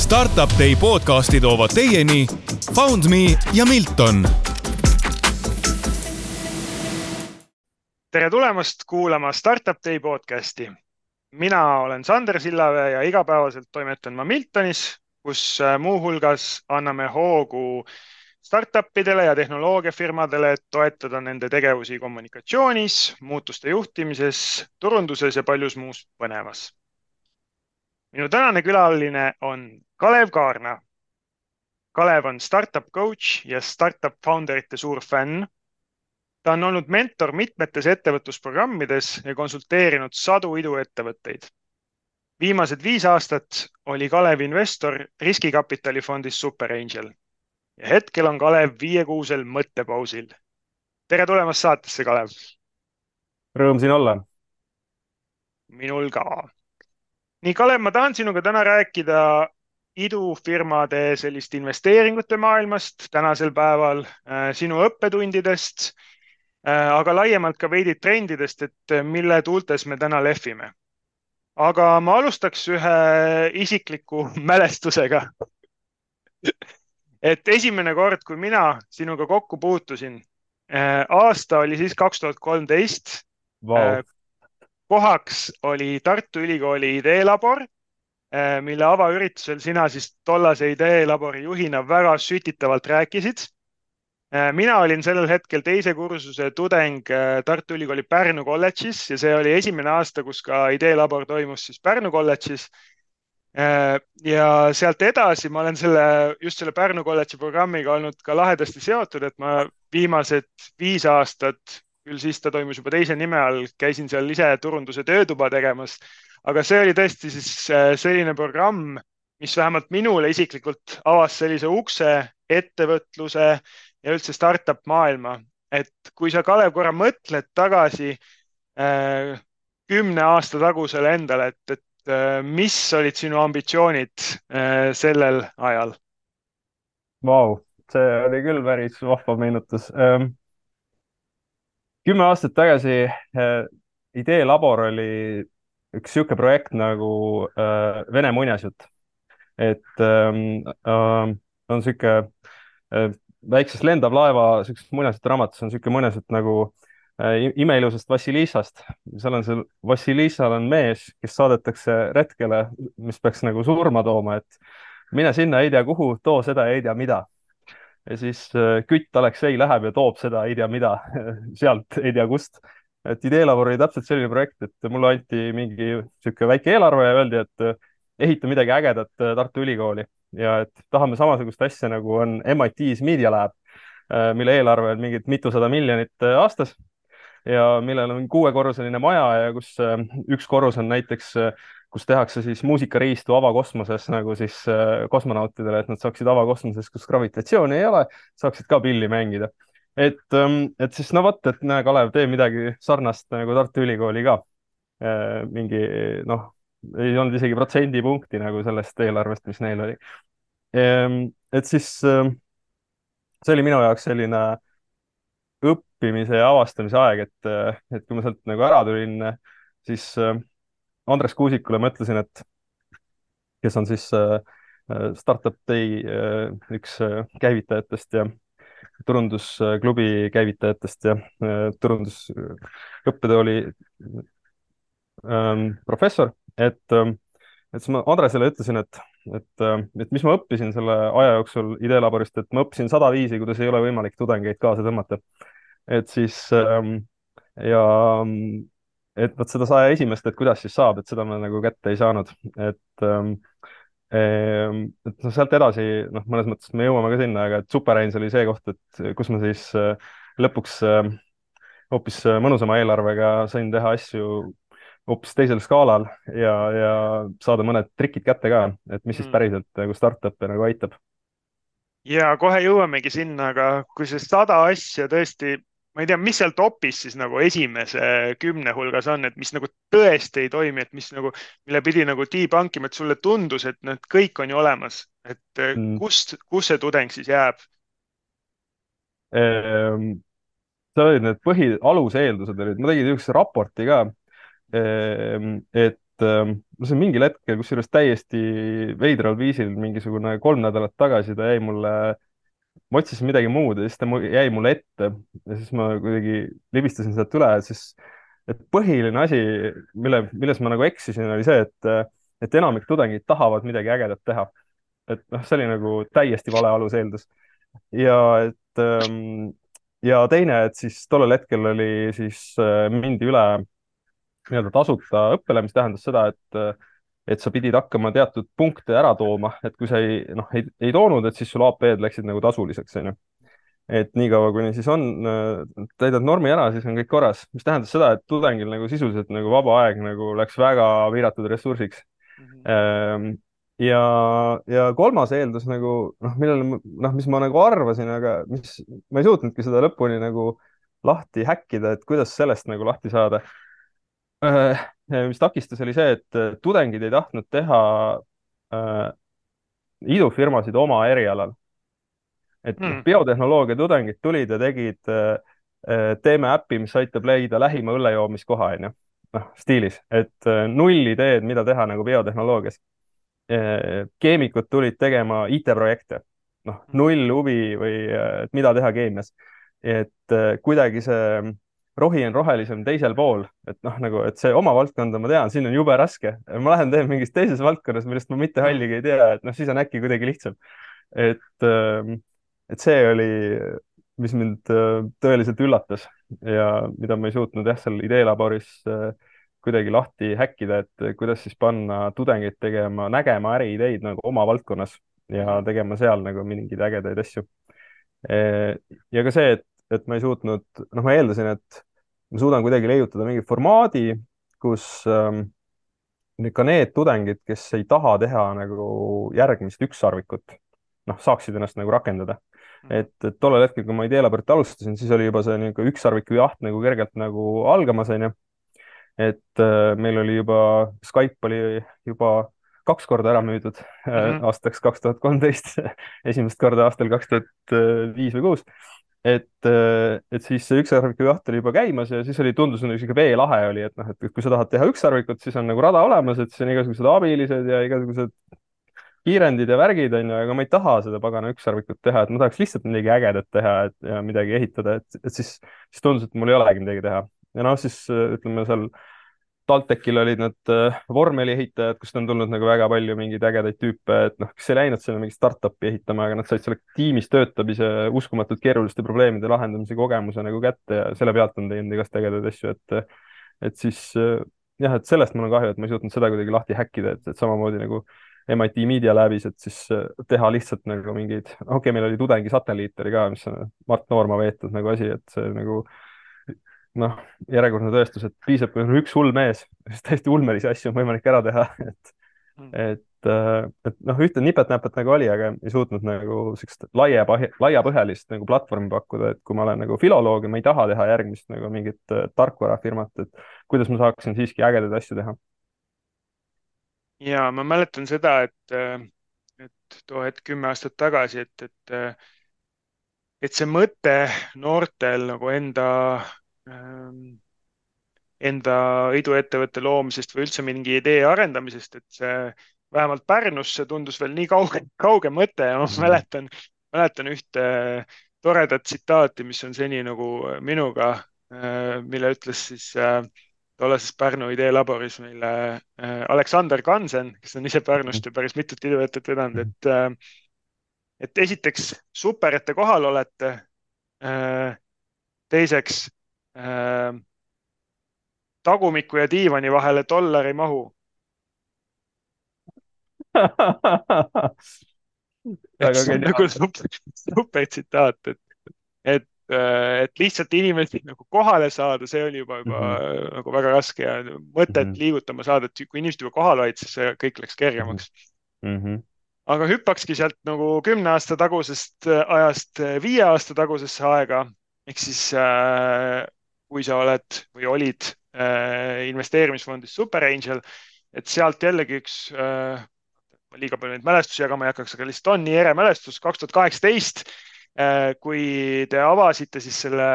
Startup Day podcasti toovad teieni FoundMe ja Milton. Tere tulemast kuulama Startup Day podcasti. Mina olen Sander Sillavee ja igapäevaselt toimetan ma Miltonis, kus muuhulgas anname hoogu startupidele ja tehnoloogiafirmadele, et toetada nende tegevusi kommunikatsioonis, muutuste juhtimises, turunduses ja paljus muus põnevas. Minu tänane külaline on Kalev Kaarna. Kalev on startup coach ja startup founderite suur fänn. Ta on olnud mentor mitmetes ettevõtlusprogrammides ja konsulteerinud sadu iduettevõtteid. Viimased 5 aastat oli Kalev investor riskikapitalifondis Super Angel. Ja hetkel on Kalev 5-kuusel mõttepausil. Tere tulemast saatesse, Kalev. Rõõm siin olla. Minul ka. Nii, Kalev, ma tahan sinuga täna rääkida idufirmade sellist investeeringute maailmast tänasel päeval, sinu õppetundidest, aga laiemalt ka veidi trendidest, et mille tuultes me täna lehvime. Aga ma alustaks ühe isikliku mälestusega. Et esimene kord, kui mina sinuga kokku puutusin, aasta oli siis 2013. Wow. Kohaks oli Tartu Ülikooli ideelabor, mille avaüritusel sina siis tollase ideelabori juhina väga sütitavalt rääkisid. Mina olin sellel hetkel teise kursuse tudeng Tartu Ülikooli Pärnu kolledžis ja see oli esimene aasta, kus ka ideelabor toimus siis Pärnu kolledžis. Ja sealt edasi ma olen just selle Pärnu kolledži programmiga olnud ka lahedasti seotud, et ma viimased 5 aastat, küll siis ta toimus juba teise nime all, käisin seal ise turunduse töötuba tegemas. Aga see oli tõesti siis selline programm, mis vähemalt minule isiklikult avas sellise ukse ettevõtluse ja üldse startup maailma. Et kui sa, Kalev, korra mõtled tagasi 10 aasta tagusele endale, et mis olid sinu ambitsioonid sellel ajal? Wow, see oli küll päris vahva meenutus. 10 aastat tagasi ideelabor oli üks siuke projekt nagu Vene muinasjutt. Et on siuke väiksest lendav laeva, siukest muinasjutt raamatus on siuke muinasjutt nagu imeilusast Vassilissast. Seal on Vassilissal on mees, kes saadetakse retkele, mis peaks nagu surma tooma, et mine sinna, ei tea kuhu, too seda, ei tea mida. Ja siis kütt Aleksei läheb ja toob seda, ei tea mida, sealt ei tea kust. Et ideelabor oli täpselt selline projekt, et mulle anti mingi siuke väike eelarve ja öeldi, et ehita midagi ägedat Tartu Ülikooli ja et tahame samasugust asja nagu on MIT's Media Lab, mille eelarve on mingid mitusada miljonit aastas ja millel on 6-korruseline maja ja kus üks korrus on näiteks, kus tehakse siis muusikariistu avakosmoses nagu siis kosmonautidele, et nad saaksid avakosmoses, kus gravitatsiooni ei ole, saaksid ka pilli mängida. Et siis no vot, et näe, Kalev, tee midagi sarnast nagu Tartu Ülikooli ka. Mingi, ei olnud isegi protsendipunkti nagu sellest eelarvest, mis neil oli. Et siis see oli minu jaoks selline õppimise ja avastamise aeg, et kui ma sealt nagu ära tulin, siis Andres Kuusikule mõtlesin, et kes on siis Startup Day üks käivitajatest ja turundusklubi käivitajatest ja turundusõppetooli professor, et siis ma Andresele ütlesin, et mis ma õppisin selle aja jooksul ideelaborist, et ma õppisin 100 viisi, kuidas ei ole võimalik tudengeid kaasa tõmmata. Et siis ja et võt seda 101, et kuidas siis saab, et seda ma nagu kätte ei saanud. Et sealt edasi, mõnes mõttes me jõuame ka sinna, aga et Super Angel oli see koht, et kus ma siis lõpuks hoopis mõnusama eelarvega sain teha asju hoopis teisel skaalal ja saada mõned trikid kätte ka, et mis siis päriselt nagu startup'e nagu aitab. Ja kohe jõuamegi sinna, aga kui see 100 asja tõesti, ma ei tea, mis seal topis siis nagu esimese 10 hulgas on, et mis nagu tõesti ei toimi, et mis nagu, mille pidi nagu debunkima, et sulle tundus, et need kõik on ju olemas, et kus see tudeng siis jääb? See olid need aluseeldused olid, ma tegin üks raporti ka, et see mingil hetkel, kusjuures täiesti veidral viisil, mingisugune 3 nädalat tagasi ta jäi mulle, ma otsisin midagi muud ja siis ta jäi mulle ette ja siis ma kuidagi libistasin sealt üle, et siis, et põhiline asi, milles ma nagu eksisin, oli see, et enamik tudengid tahavad midagi ägedat teha. Et noh, see oli nagu täiesti vale aluseeldus. ja et ja teine, et siis tollel hetkel oli siis mindi üle nii-öelda tasuta õppele, mis tähendas seda, et sa pidid hakkama teatud punkte ära tooma, et kui sa ei toonud, et siis sul AP-d läksid nagu tasuliseks, onju. Et niikaua, kuni siis on, täidad normi ära, siis on kõik korras, mis tähendas seda, et tudengil nagu sisuliselt nagu vaba aeg nagu läks väga piiratud ressursiks. ja, ja kolmas eeldus nagu millele mis ma nagu arvasin, aga mis ma ei suutnudki seda lõpuni nagu lahti häkkida, et kuidas sellest nagu lahti saada. Mis takistas, oli see, et tudengid ei tahtnud teha idufirmasid oma erialal. Et biotehnoloogia tudengid tulid ja tegid, teeme äppi, mis aitab leida lähima õllejoomiskoha, onju. Stiilis, et null ideed, mida teha nagu biotehnoloogias. Keemikud tulid tegema IT-projekte, null huvi või et mida teha keemias. Et kuidagi see rohi on rohelisem teisel pool, et nagu, et see oma valdkonda ma tean, siin on jube raske. Ma lähen teen mingis teises valdkonnas, millest ma mitte halligi ei tea, et siis on äkki kuidagi lihtsam. Et see oli, mis mind tõeliselt üllatas ja mida ma ei suutnud seal ideelaboris kuidagi lahti häkkida, et kuidas siis panna tudengeid tegema, nägema äriideid nagu oma valdkonnas ja tegema seal nagu mingeid ägedaid asju. Ja ka see, et ma ei suutnud, ma eeldasin, et ma suudan kuidagi leiutada mingi formaadi, kus ka need tudengid, kes ei taha teha nagu järgmist ükssarvikut, saaksid ennast nagu rakendada. Et tollel hetkel, kui ma ideelaborit alustasin, siis oli juba see niisugune ükssarviku jaht nagu kergelt nagu algamas, onju. Et meil oli juba, Skype oli juba 2 korda ära müüdud aastaks 2013, esimest korda aastal 2005 või 2006. Et siis see ükssarviku jaht oli juba käimas ja siis tundus niisugune veelahe oli, et et kui sa tahad teha ükssarvikut, siis on nagu rada olemas, et siis on igasugused abilised ja igasugused kiirendid ja värgid, onju, aga ma ei taha seda pagana ükssarvikut teha, et ma tahaks lihtsalt midagi ägedat teha ja midagi ehitada, et siis tundus, et mul ei olegi midagi teha. Ja siis ütleme seal TalTechil olid need vormeliehitajad, kust on tulnud nagu väga palju mingeid ägedaid tüüpe, et kes ei läinud sinna mingi startup'i ehitama, aga nad said selle tiimis töötamise, uskumatult keeruliste probleemide lahendamise kogemuse nagu kätte ja selle pealt on teinud igast ägedaid asju, et siis jah, et sellest mul on kahju, et ma ei suutnud seda kuidagi lahti häkkida, et samamoodi nagu MIT Media Labis, et siis teha lihtsalt nagu mingeid, meil oli tudengi satelliit oli ka, mis on Mart Noorma veetud nagu asi, et see nagu järjekordne tõestus, et piisab, kui on üks hull mees, siis täiesti ulmelisi asju on võimalik ära teha, et ühte nipet-näpet nagu oli, aga ei suutnud nagu sellist laiapõhjalist nagu platvormi pakkuda, et kui ma olen nagu filoloog ja ma ei taha teha järgmist nagu mingit tarkvarafirmat, et kuidas ma saaksin siiski ägedaid asju teha. Ja ma mäletan seda, et too hetk 10 aastat tagasi, et see mõte noortel nagu enda iduettevõtte loomisest või üldse mingi idee arendamisest, et see vähemalt Pärnus see tundus veel nii kauge mõte ja ma mäletan ühte toredat tsitaati, mis on seni nagu minuga, mille ütles siis tollases Pärnu ideelaboris meile Aleksander Kansen, kes on ise Pärnust ja päris mitut iduettevõtet vedanud, et esiteks super, et te kohal olete. Teiseks, tagumiku ja diivani vahele $1 ei mahu. Et see on nagu super tsitaat, et lihtsalt inimesi nagu kohale saada, see oli juba nagu väga raske ja mõtet liigutama saada, et kui inimesed juba kohal olid, siis kõik läks kergemaks. Aga hüppakski sealt nagu 10 aasta tagusest ajast 5 aasta tagusesse aega, ehk siis kui sa oled või olid investeerimisfondis Super Angel, et sealt jällegi üks, liiga palju neid mälestusi jagama ei hakkaks, aga lihtsalt on nii ere mälestus, 2018, kui te avasite siis selle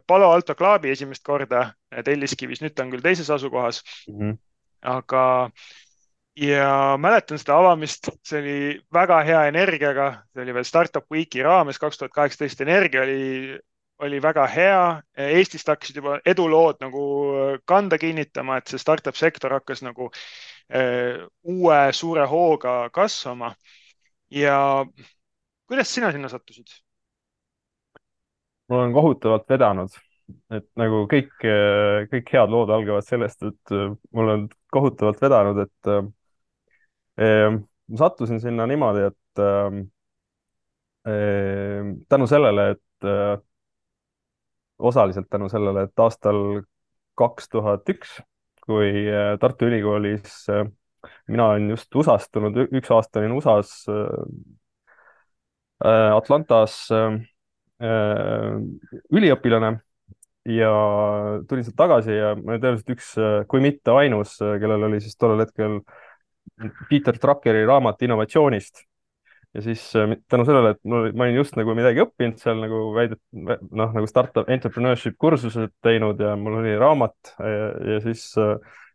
Palo Alto Clubi esimest korda Telliskivis, nüüd ta on küll teises asukohas. aga ja mäletan seda avamist, see oli väga hea energiaga, see oli veel Startup Weeki raames 2018, energia oli väga hea. Eestist hakkasid juba edulood nagu kanda kinnitama, et see startup sektor hakkas nagu uue suure hooga kasvama. Ja kuidas sina sinna sattusid? mul on kohutavalt vedanud, et nagu kõik head lood algavad sellest, et mul on kohutavalt vedanud, et ma sattusin sinna niimoodi, et tänu sellele, et osaliselt tänu sellele, et aastal 2001, kui Tartu Ülikoolis mina olin just USA-st tulnud, üks aasta olin USA-s Atlantas üliõpilane ja tulin sealt tagasi ja ma olin tõenäoliselt üks, kui mitte ainus, kellel oli siis tollel hetkel Peter Druckeri raamat innovatsioonist. Ja siis tänu sellele, et ma olin just nagu midagi õppinud seal nagu nagu startup entrepreneurship kursused teinud ja mul oli raamat ja siis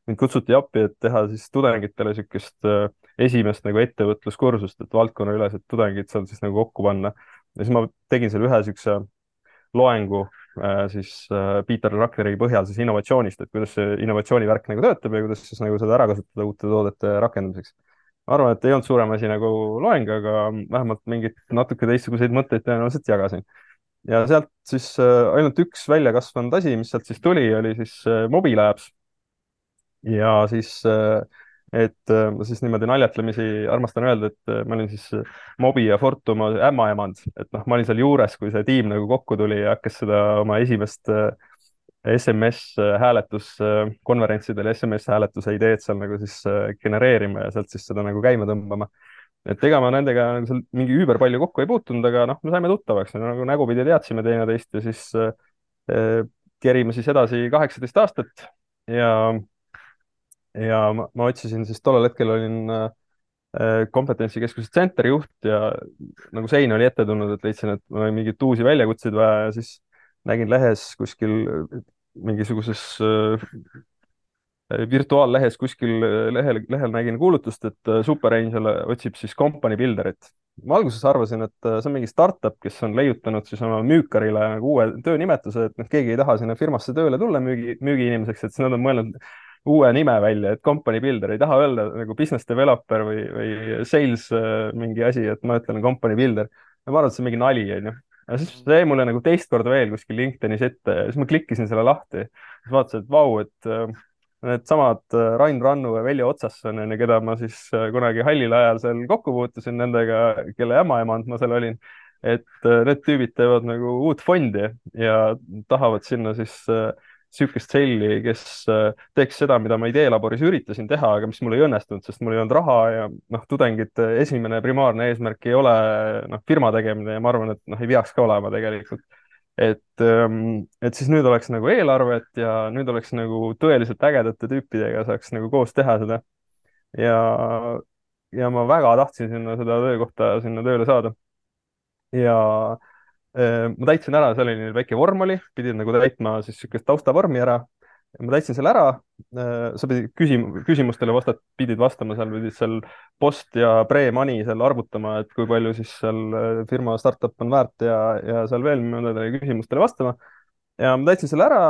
mind kutsuti appi, et teha siis tudengitele niisugust esimest nagu ettevõtluskursust, et valdkonnaülesed tudengid seal siis nagu kokku panna. Ja siis ma tegin seal ühe niisuguse loengu siis Peter Druckeri põhjal siis innovatsioonist, et kuidas see innovatsioonivärk nagu töötab ja kuidas siis nagu seda ära kasutada uute toodete rakendamiseks. Ma arvan, et ei olnud suurem asi nagu loeng, aga vähemalt mingid natuke teistsuguseid mõtteid tõenäoliselt jagasin. Ja sealt siis ainult üks välja kasvanud asi, mis sealt siis tuli, oli siis Mobilabs. Ja siis, et ma siis niimoodi naljatlemisi armastan öelda, et ma olin siis Mobi ja Fortuma ämmaemand, et noh, ma olin seal juures, kui see tiim nagu kokku tuli ja hakkas seda oma esimest SMS-hääletuskonverentsidel SMS-hääletuse ideed seal nagu siis genereerima ja sealt siis seda nagu käima tõmbama. Et ega ma nendega nagu seal mingi üüber palju kokku ei puutunud, aga noh, me saime tuttavaks, nagu nägupidi teadsime teineteist ja siis kerime siis edasi 18 aastat ja, ma otsisin siis tollel hetkel olin kompetentsikeskuse Center juht ja nagu sein oli ette tulnud, et leidsin, et mul oli mingeid uusi väljakutseid vaja ja siis nägin lehes kuskil mingisuguses virtuaallehes kuskil lehel nägin kuulutust, et Super Angel otsib siis company builderit. Ma alguses arvasin, et see on mingi startup, kes on leiutanud siis oma müükarile nagu uue töönimetuse, et noh, keegi ei taha sinna firmasse tööle tulla müügiinimeseks, et siis nad on mõelnud uue nime välja, et company builder, ei taha öelda nagu business developer või sales mingi asi, et ma ütlen company builder. ja ma arvan, et see on mingi nali, onju. ja siis see jäi mulle nagu teist korda veel kuskil LinkedInis ette ja siis ma klikkisin selle lahti. siis vaatasin, et vau, et needsamad Rain Rannu ja Veljo Otsasson, keda ma siis kunagi hallil ajal seal kokku puutusin, nendega, kelle ämmaemand ma seal olin, et need tüübid teevad nagu uut fondi ja tahavad sinna siis sihukest selli, kes teeks seda, mida ma ideelaboris üritasin teha, aga mis mul ei õnnestunud, sest mul ei olnud raha ja noh, tudengite esimene primaarne eesmärk ei ole noh, firma tegemine ja ma arvan, et noh, ei peaks ka olema tegelikult. Et siis nüüd oleks nagu eelarvet ja nüüd oleks nagu tõeliselt ägedate tüüpidega saaks nagu koos teha seda. ja, ja ma väga tahtsin sinna seda töökohta sinna tööle saada. ja ma täitsin ära, seal oli väike vorm oli, pidid nagu täitma siis niisugust taustavormi ära. ma täitsin selle ära. sa pidid küsimustele pidid vastama, seal pidid seal post ja pre-money seal arvutama, et kui palju siis seal firma startup on väärt ja seal veel mõnedele küsimustele vastama. ja ma täitsin selle ära,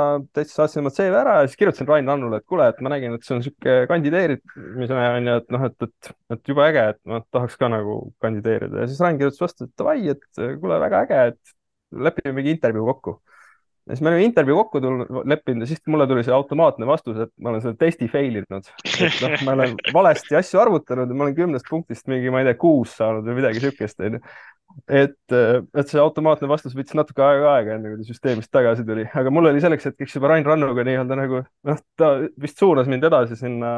saatsin oma CV ära ja siis kirjutasin Rain Rannule, et kuule, et ma nägin, et see on niisugune kandideerimise on ju, et noh, et jube äge, et ma tahaks ka nagu kandideerida ja siis Rain kirjutas vastu, et davai, et kuule, väga äge, et lepime mingi intervjuu kokku. ja siis me olime intervjuu kokku leppinud ja siis mulle tuli see automaatne vastus, et ma olen selle testi fail inud. et noh, ma olen valesti asju arvutanud ja ma olen 10 punktist mingi, ma ei tea, 6 saanud või midagi siukest, onju. et see automaatne vastus võttis natuke aega, enne kui ta süsteemist tagasi tuli, aga mul oli selleks hetkeks juba Rain Rannuga nii-öelda nagu noh, ta vist suunas mind edasi sinna.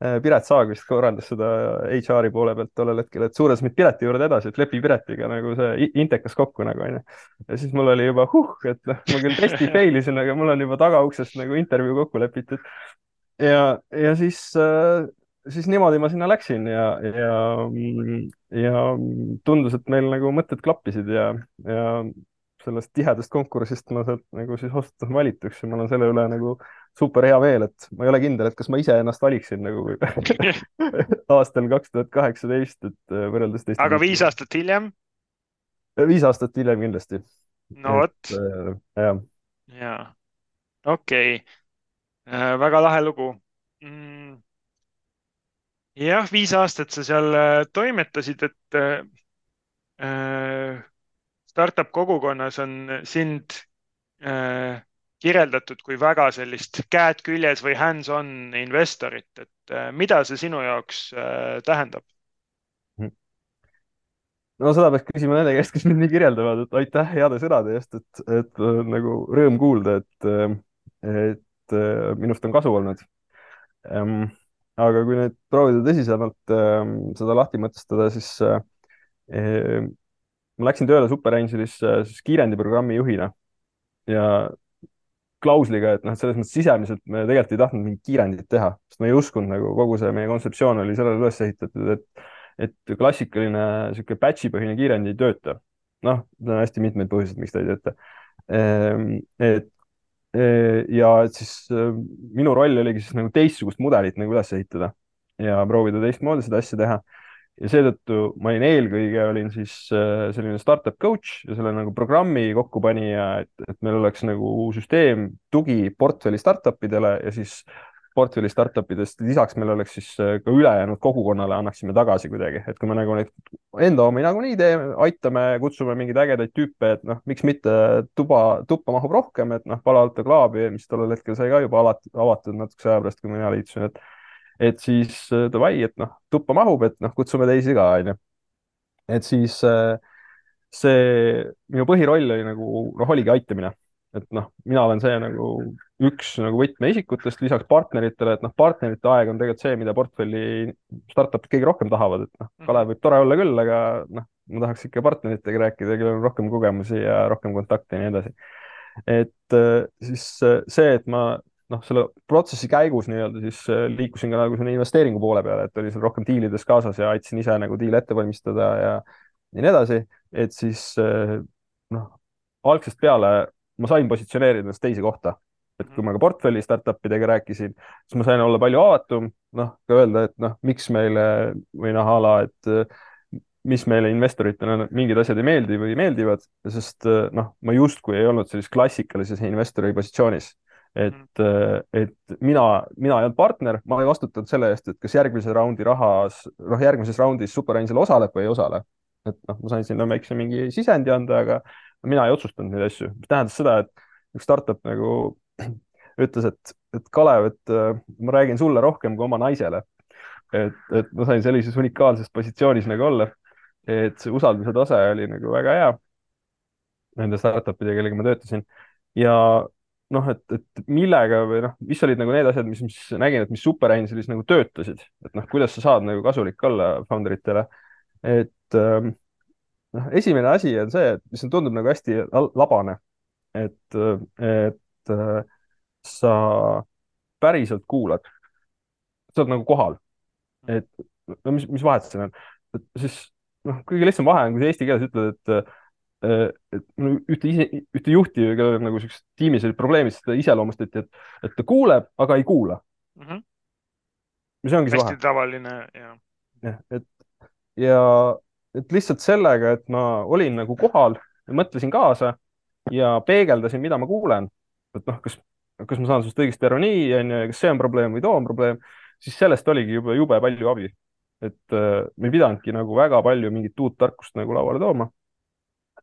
Piret Saag vist korraldas seda HR-i poole pealt tollel hetkel, et suunas mind Pireti juurde edasi, et lepi Piretiga nagu see intekas kokku nagu onju. ja siis mul oli juba et noh, ma küll testi fail isin, aga mul on juba tagauksest nagu intervjuu kokku lepitud. ja siis niimoodi ma sinna läksin ja tundus, et meil nagu mõtted klappisid ja sellest tihedast konkursist ma sealt nagu siis osutusin valituks ja ma olen selle üle nagu super hea meel, et ma ei ole kindel, et kas ma ise ennast valiksin nagu aastal 2018, et võrreldes teiste aga 5 tiitlitega. aastat hiljem? 5 aastat hiljem kindlasti. No vot. Jah. Jaa, okei. Väga lahe lugu. Jah, 5 aastat sa seal toimetasid, et startup kogukonnas on sind kirjeldatud kui väga sellist käed küljes või hands-on investorit, et mida see sinu jaoks tähendab? No seda peaks küsima nende käest, kes mind nii kirjeldavad, et aitäh heade sõnade eest, et nagu rõõm kuulda, et minust on kasu olnud. Aga kui nüüd proovida tõsisemalt seda lahti mõtestada, siis ma läksin tööle SuperAngelisse siis kiirendiprogrammi juhina ja klausliga, et noh, selles mõttes sisemiselt me tegelikult ei tahtnud mingit kiirendit teha, sest ma ei uskunud nagu kogu see meie kontseptsioon oli sellele üles ehitatud, et klassikaline sihuke batch'i põhine kiirend ei tööta. Noh, on hästi mitmeid põhjuseid, miks ta ei tööta. Ja et siis minu roll oligi siis nagu teistsugust mudelit nagu üles ehitada ja proovida teistmoodi seda asja teha. Ja seetõttu ma olin siis selline startup coach ja selle nagu programmi kokkupanija, et meil oleks nagu süsteem tugi portfelli startupidele ja siis portfelli startupidest lisaks meil oleks siis ka ülejäänud kogukonnale annaksime tagasi kuidagi, et kui me nagu neid enda omi nagunii teeme, aitame, kutsume mingeid ägedaid tüüpe, et noh, miks mitte tuppa mahub rohkem, et noh, Palo Alto Clubi, mis tollel hetkel sai ka juba avatud natukese aja pärast, kui mina liitusin, et siis davai, et noh, tuppa mahub, et noh, kutsume teisi ka, onju. Et siis see minu põhiroll oli nagu, noh, oligi aitamine. Et noh, mina olen see nagu üks nagu võtmeisikutest lisaks partneritele, et noh, partnerite aeg on tegelikult see, mida portfelli startupid kõige rohkem tahavad, et noh, Kalev võib tore olla küll, aga noh, ma tahaks ikka partneritega rääkida, kellel on rohkem kogemusi ja rohkem kontakte ja nii edasi. Et siis see, et ma noh, selle protsessi käigus nii-öelda siis liikusin ka nagu selle investeeringu poole peale, et oli seal rohkem diilides kaasas ja aitasin ise nagu diile ette valmistada ja nii edasi, et siis noh, algsest peale ma sain positsioneerida ennast teise kohta. Et kui ma ka portfelli startupidega rääkisin, siis ma sain olla palju avatum, noh, ka öelda, et noh, miks meile või noh, ala, et mis meile investoritena mingid asjad ei meeldi või meeldivad, sest noh, ma justkui ei olnud sellises klassikalises investori positsioonis. Et mina ei olnud partner, ma ei vastutanud selle eest, et kas järgmise raundi rahas, noh, järgmises raundis SuperAngel osaleb või ei osale. Et noh, ma sain sinna väikse mingi sisendi anda, aga mina ei otsustanud neid asju, mis tähendas seda, et üks startup nagu ütles, et Kalev, et ma räägin sulle rohkem kui oma naisele. Et ma sain sellises unikaalses positsioonis nagu olla, et see usalduse tase oli nagu väga hea nende startupidega, kellega ma töötasin. Ja noh, et millega või noh, mis olid nagu need asjad, mis nägin, et mis SuperAngelis nagu töötasid, et noh, kuidas sa saad nagu kasulik olla founderitele. Et noh, esimene asi on see, et mis tundub nagu hästi labane, et sa päriselt kuulad, sa oled nagu kohal, et no mis vahet siin on, et siis noh, kõige lihtsam vahe on, kui sa eesti keeles ütled, et ühte juhti, kellel nagu sellised tiimis olid probleemid, seda iseloomustati, et ta kuuleb, aga ei kuula. Mis ongi see vahe. Hästi tavaline, jah. Et lihtsalt sellega, et ma olin nagu kohal ja mõtlesin kaasa ja peegeldasin, mida ma kuulen, et noh, kas ma saan sellest õigesti aru nii, kas see on probleem või too on probleem, siis sellest oligi jube palju abi. Et me ei pidanudki nagu väga palju mingit uut tarkust nagu lauale tooma.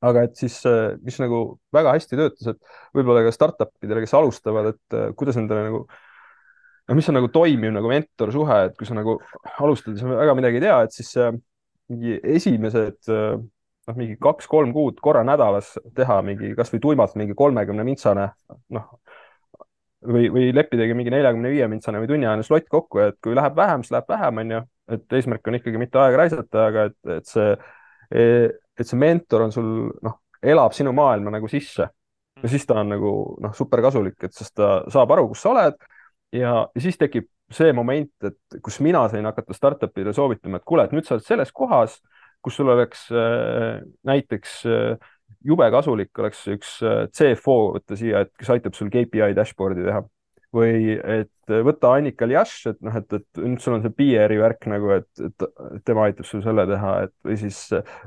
Aga et siis, mis nagu väga hästi töötas, et võib-olla ka startupidele, kes alustavad, et kuidas nendele nagu, no mis on nagu toimiv nagu mentorsuhe, et kui sa nagu alustad ja sa väga midagi ei tea, et siis mingi esimesed noh, mingi 2-3 kuud korra nädalas teha mingi kasvõi tuimalt mingi 30 mintsane, noh, või leppidagi mingi 45 mintsane või tunniajane slott kokku, et kui läheb vähem, siis läheb vähem, on ju, et eesmärk on ikkagi mitte aega raisata, aga et see mentor on sul, noh, elab sinu maailma nagu sisse ja siis ta on nagu, noh, super kasulik, et sest ta saab aru, kus sa oled ja siis tekib see moment, et kus mina sain hakata startup'ile soovitama, et kuule, et nüüd sa oled selles kohas, kus sul oleks näiteks jube kasulik oleks üks CFO võtta siia, et kes aitab sul KPI dashboard'i teha. või et võta Annika Ljaš, et noh, et nüüd sul on see PR-i värk nagu, et tema aitab sul selle teha, et või siis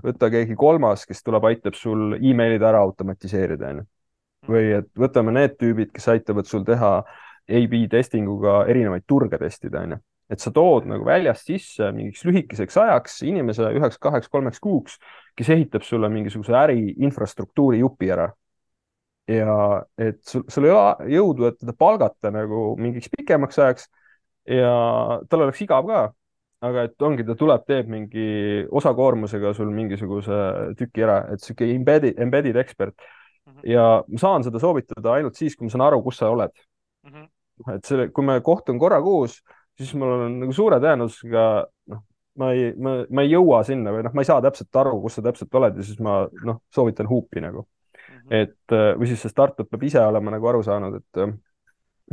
võta keegi kolmas, kes tuleb, aitab sul emailid ära automatiseerida, onju. või et võtame need tüübid, kes aitavad sul teha AB testinguga erinevaid turge testida, onju. et sa tood nagu väljast sisse mingiks lühikeseks ajaks inimese 1-2-3 kuuks, kes ehitab sulle mingisuguse äri infrastruktuuri jupi ära. Ja et sul ei ole jõudu, et teda palgata nagu mingiks pikemaks ajaks ja tal oleks igav ka, aga et ongi, ta tuleb, teeb mingi osakoormusega sul mingisuguse tüki ära, et sihuke embedded ekspert. ja ma saan seda soovitada ainult siis, kui ma saan aru, kus sa oled. et selle, kui me kohtun korra kuus, siis mul on nagu suure tõenäosusega, noh, ma ei jõua sinna või noh, ma ei saa täpselt aru, kus sa täpselt oled ja siis ma soovitan huupi nagu. et või siis see startup peab ise olema nagu aru saanud, et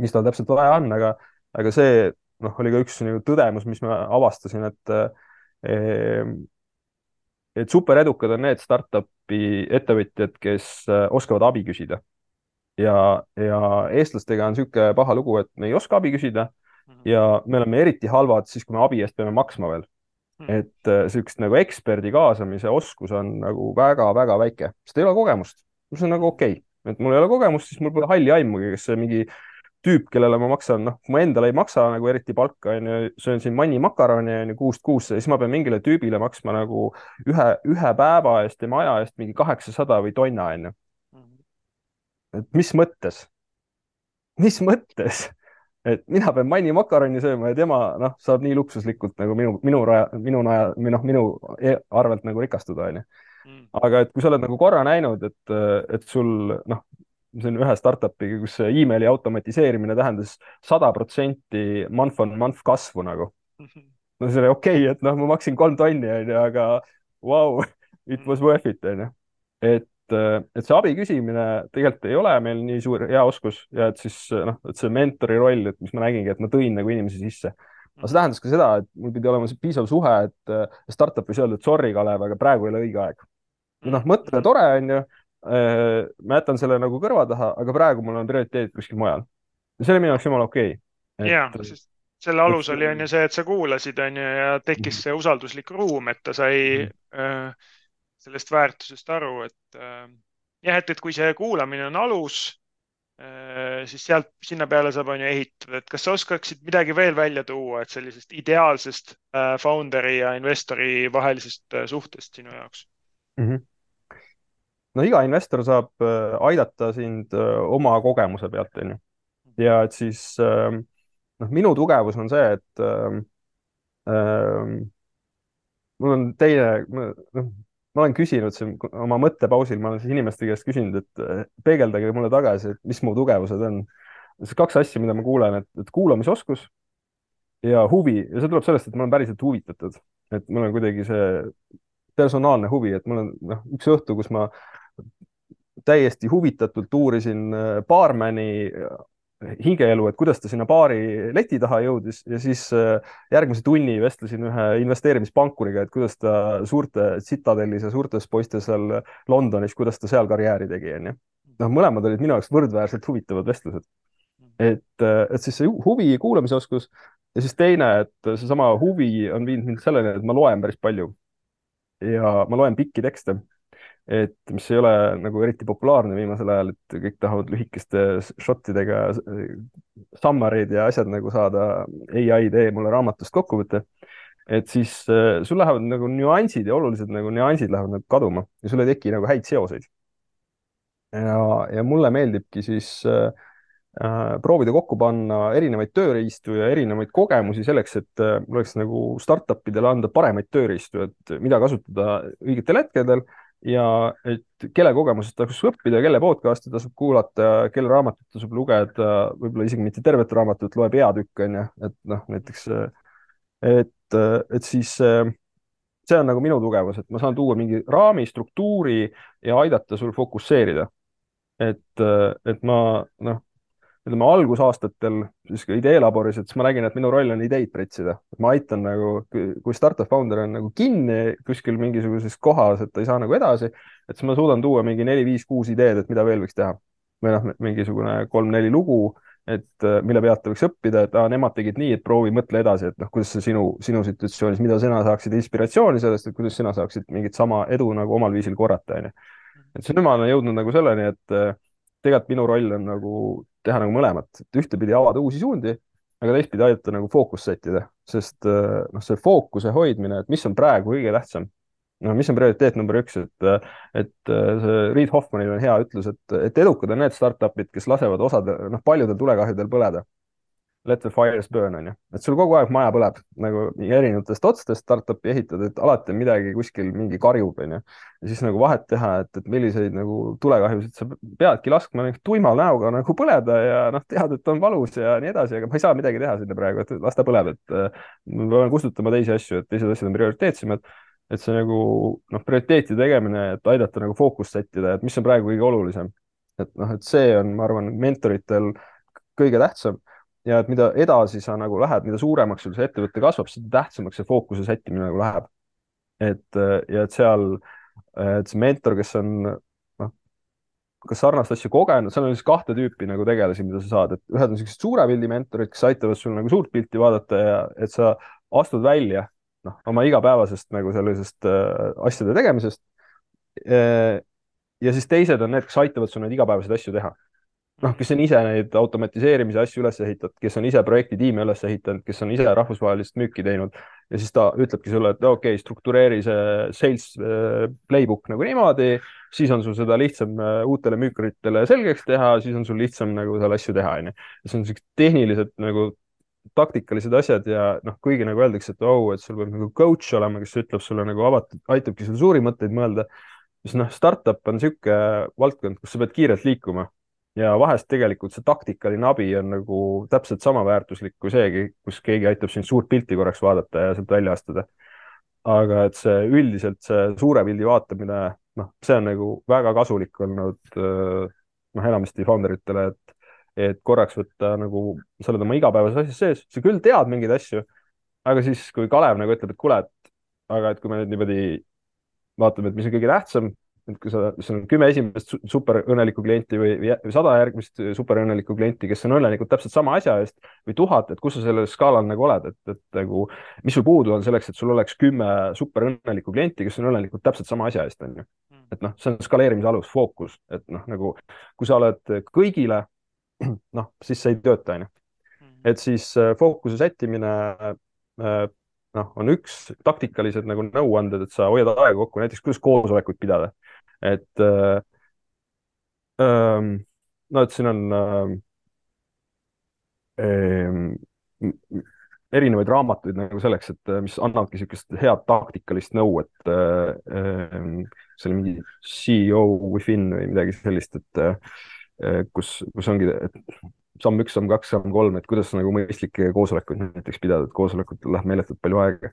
mis tal täpselt vaja on, aga see oli ka üks nagu tõdemus, mis ma avastasin, et super edukad on need startup'i ettevõtjad, kes oskavad abi küsida. ja eestlastega on niisugune paha lugu, et me ei oska abi küsida ja me oleme eriti halvad siis, kui me abi eest peame maksma veel. et niisugust nagu eksperdi kaasamise oskus on nagu väga-väga väike, sest ei ole kogemust. see on nagu okei. et mul ei ole kogemust, siis mul pole halli aimugi, kes see mingi tüüp, kellele ma maksan, kui ma endale ei maksa nagu eriti palka, onju, söön siin mannimakaroni onju kuust kuusse, siis ma pean mingile tüübile maksma nagu ühe päeva eest tema aja eest mingi 800 või tonna onju. et mis mõttes? et mina pean mannimakaroni sööma ja tema saab nii luksuslikult nagu minu arvelt nagu rikastuda onju. aga et kui sa oled nagu korra näinud, et sul see on ühe startup'iga, kus emaili automatiseerimine tähendas 100% month kasvu nagu. see oli okei, et ma maksin 3 tonni onju, aga wow, it was worth it onju. et see abi küsimine tegelikult ei ole meil nii suur hea oskus ja et siis et see mentori roll, et mis ma nägingi, et ma tõin nagu inimesi sisse. aga see tähendas ka seda, et mul pidi olema see piisav suhe, et startup võis öelda, et sorry, Kalev, aga praegu ei ole õige aeg. mõte tore onju, ma jätan selle nagu kõrva taha, aga praegu mul on prioriteet kuskil mujal. ja see oli minu jaoks jumala okei. Jaa, sest selle alus oli on ju see, et sa kuulasid onju ja tekkis see usalduslik ruum, et ta sai sellest väärtusest aru, et jah, et kui see kuulamine on alus, siis sealt sinna peale saab onju ehitada, et kas sa oskaksid midagi veel välja tuua, et sellisest ideaalsest founderi ja investori vahelisest suhtest sinu jaoks? no iga investor saab aidata sind oma kogemuse pealt, onju. ja et siis minu tugevus on see, et mul on ma olen küsinud siin oma mõttepausil, ma olen siis inimeste käest küsinud, et peegeldage mulle tagasi, et mis mu tugevused on. see 2 asja, mida ma kuulen, et kuulamisoskus ja huvi ja see tuleb sellest, et ma olen päriselt huvitatud, et mul on kuidagi see personaalne huvi, et mul on üks õhtu, kus ma täiesti huvitatult uurisin baarmani hingeelu, et kuidas ta sinna baari leti taha jõudis ja siis järgmise tunni vestlesin ühe investeerimispankuriga, et kuidas ta suurte Citadelis ja suurtes poistes seal Londonis, kuidas ta seal karjääri tegi, onju. mõlemad olid minu jaoks võrdväärselt huvitavad vestlused. et siis see huvi, kuulamisoskus ja siis teine, et seesama huvi on viinud mind selleni, et ma loen päris palju ja ma loen pikki tekste, et mis ei ole nagu eriti populaarne viimasel ajal, et kõik tahavad lühikeste šottidega summary'd ja asjad nagu saada. ai tee mulle raamatust kokkuvõtte, et siis sul lähevad nagu nüansid ja olulised nagu nüansid lähevad nagu kaduma ja sul ei teki nagu häid seoseid. ja mulle meeldibki siis proovida kokku panna erinevaid tööriistu ja erinevaid kogemusi selleks, et mul oleks nagu startup'idele anda paremaid tööriistu, et mida kasutada õigetel hetkedel ja et kelle kogemusest tasub õppida, kelle podcast'i tasub kuulata, kelle raamatut tasub lugeda, võib-olla isegi mitte tervet raamatut, loe peatükk onju, et näiteks, et siis see on nagu minu tugevus, et ma saan tuua mingi raami, struktuuri ja aidata sul fokusseerida. et ma ütleme algusaastatel siis ka ideelaboris, et siis ma nägin, et minu roll on ideid pretsida. ma aitan nagu, kui startup founder on nagu kinni kuskil mingisuguses kohas, et ta ei saa nagu edasi, et siis ma suudan tuua mingi 4, 5, 6 ideed, et mida veel võiks teha. või mingisugune 3, 4 lugu, et mille pealt võiks õppida, et nemad tegid nii, et proovi mõtle edasi, et noh, kuidas see sinu situatsioonis, mida sina saaksid inspiratsiooni sellest, et kuidas sina saaksid mingit sama edu nagu omal viisil korrata, onju. et siis nüüd ma olen jõudnud nagu selleni, et tegelikult minu roll on nagu teha nagu mõlemat, et ühtepidi avada uusi suundi, aga teistpidi aidata nagu fookust sättida, sest noh, see fookuse hoidmine, et mis on praegu kõige tähtsam, no mis on prioriteet number üks, et see Reid Hoffmanil on hea ütlus, et edukad on need startup'id, kes lasevad noh, paljudel tulekahjudel põleda. Let the fires burn, on ju. Et sul kogu aeg maja põleb nagu erinevatest otstest startup'i ehitad, et alati on midagi kuskil mingi karjub, on ju. Ja siis nagu vahet teha, et milliseid nagu tulekahjusid sa peadki laskma tuima näoga nagu põleda ja noh, tead, et on valus ja nii edasi, aga ma ei saa midagi teha sinna praegu, et las ta põleb, et ma pean kustutama teisi asju, et teised asjad on prioriteetsemad. Et see nagu noh, prioriteeti tegemine, et aidata nagu fookust sättida, et mis on praegu kõige olulisem. Et noh, et see on, ma arvan, mentoritel kõige tähtsam. Ja et mida edasi sa nagu lähed, mida suuremaks sul see ettevõte kasvab, seda tähtsamaks see fookuse sättimine nagu läheb. Ja et seal, et see mentor, kes on noh, kas sarnast asja kogenud, seal on siis kahte tüüpi nagu tegelasi, mida sa saad, et ühed on sellised suure pildi mentorid, kes aitavad sul nagu suurt pilti vaadata ja et sa astud välja noh, oma igapäevasest nagu sellisest asjade tegemisest. Ja siis teised on need, kes aitavad sul neid igapäevaseid asju teha. Noh, kes on ise neid automatiseerimise asju üles ehitanud, kes on ise projektitiime üles ehitanud, kes on ise rahvusvahelist müüki teinud ja siis ta ütlebki sulle, et okei, struktureeri see sales playbook nagu niimoodi, siis on sul seda lihtsam uutele müükaritele selgeks teha, siis on sul lihtsam nagu seal asju teha, on ju. See on sellised tehnilised nagu taktikalised asjad ja noh, kuigi nagu öeldakse, et et sul peab nagu coach olema, kes ütleb sulle nagu avatud, aitabki sul suuri mõtteid mõelda, siis noh, startup on niisugune valdkond, kus sa pead kiirelt liikuma. Ja vahest tegelikult see taktikaline abi on nagu täpselt sama väärtuslik kui seegi, kus keegi aitab sind suurt pilti korraks vaadata ja sealt välja astuda. Aga et see üldiselt see suure pildi vaatamine, noh, see on nagu väga kasulik olnud noh, enamasti founderitele, et korraks võtta nagu, sa oled oma igapäevases asjas sees, sa küll tead mingeid asju, aga siis kui Kalev nagu ütleb, et kuule, aga et kui me nüüd niimoodi vaatame, et mis on kõige tähtsam, et kui sul on 10 esimest super õnnelikku klienti või 100 järgmist super õnnelikku klienti, kes on õnnelikud täpselt sama asja eest või 1000, et kus sa sellel skaalal nagu oled, et nagu, mis sul puudu on selleks, et sul oleks 10 super õnnelikku klienti, kes on õnnelikud täpselt sama asja eest, on ju. Et noh, see on skaleerimise alus, fookus, et noh, nagu kui sa oled kõigile, noh, siis see ei tööta, on ju. Et siis fookuse sättimine noh, on üks taktikalised nagu nõuanded, et sa hoiad aega kokku, näiteks kuidas koosolekuid pidada. Et no, et siin on erinevaid raamatuid nagu selleks, et mis annavadki niisugust head taktikalist nõu, et see oli mingi CEO Within või midagi sellist, et kus ongi, et samm 1, samm 2, samm 3, et kuidas nagu mõistlikke koosolekuid näiteks pidada, et koosolekutel läheb meeletult palju aega.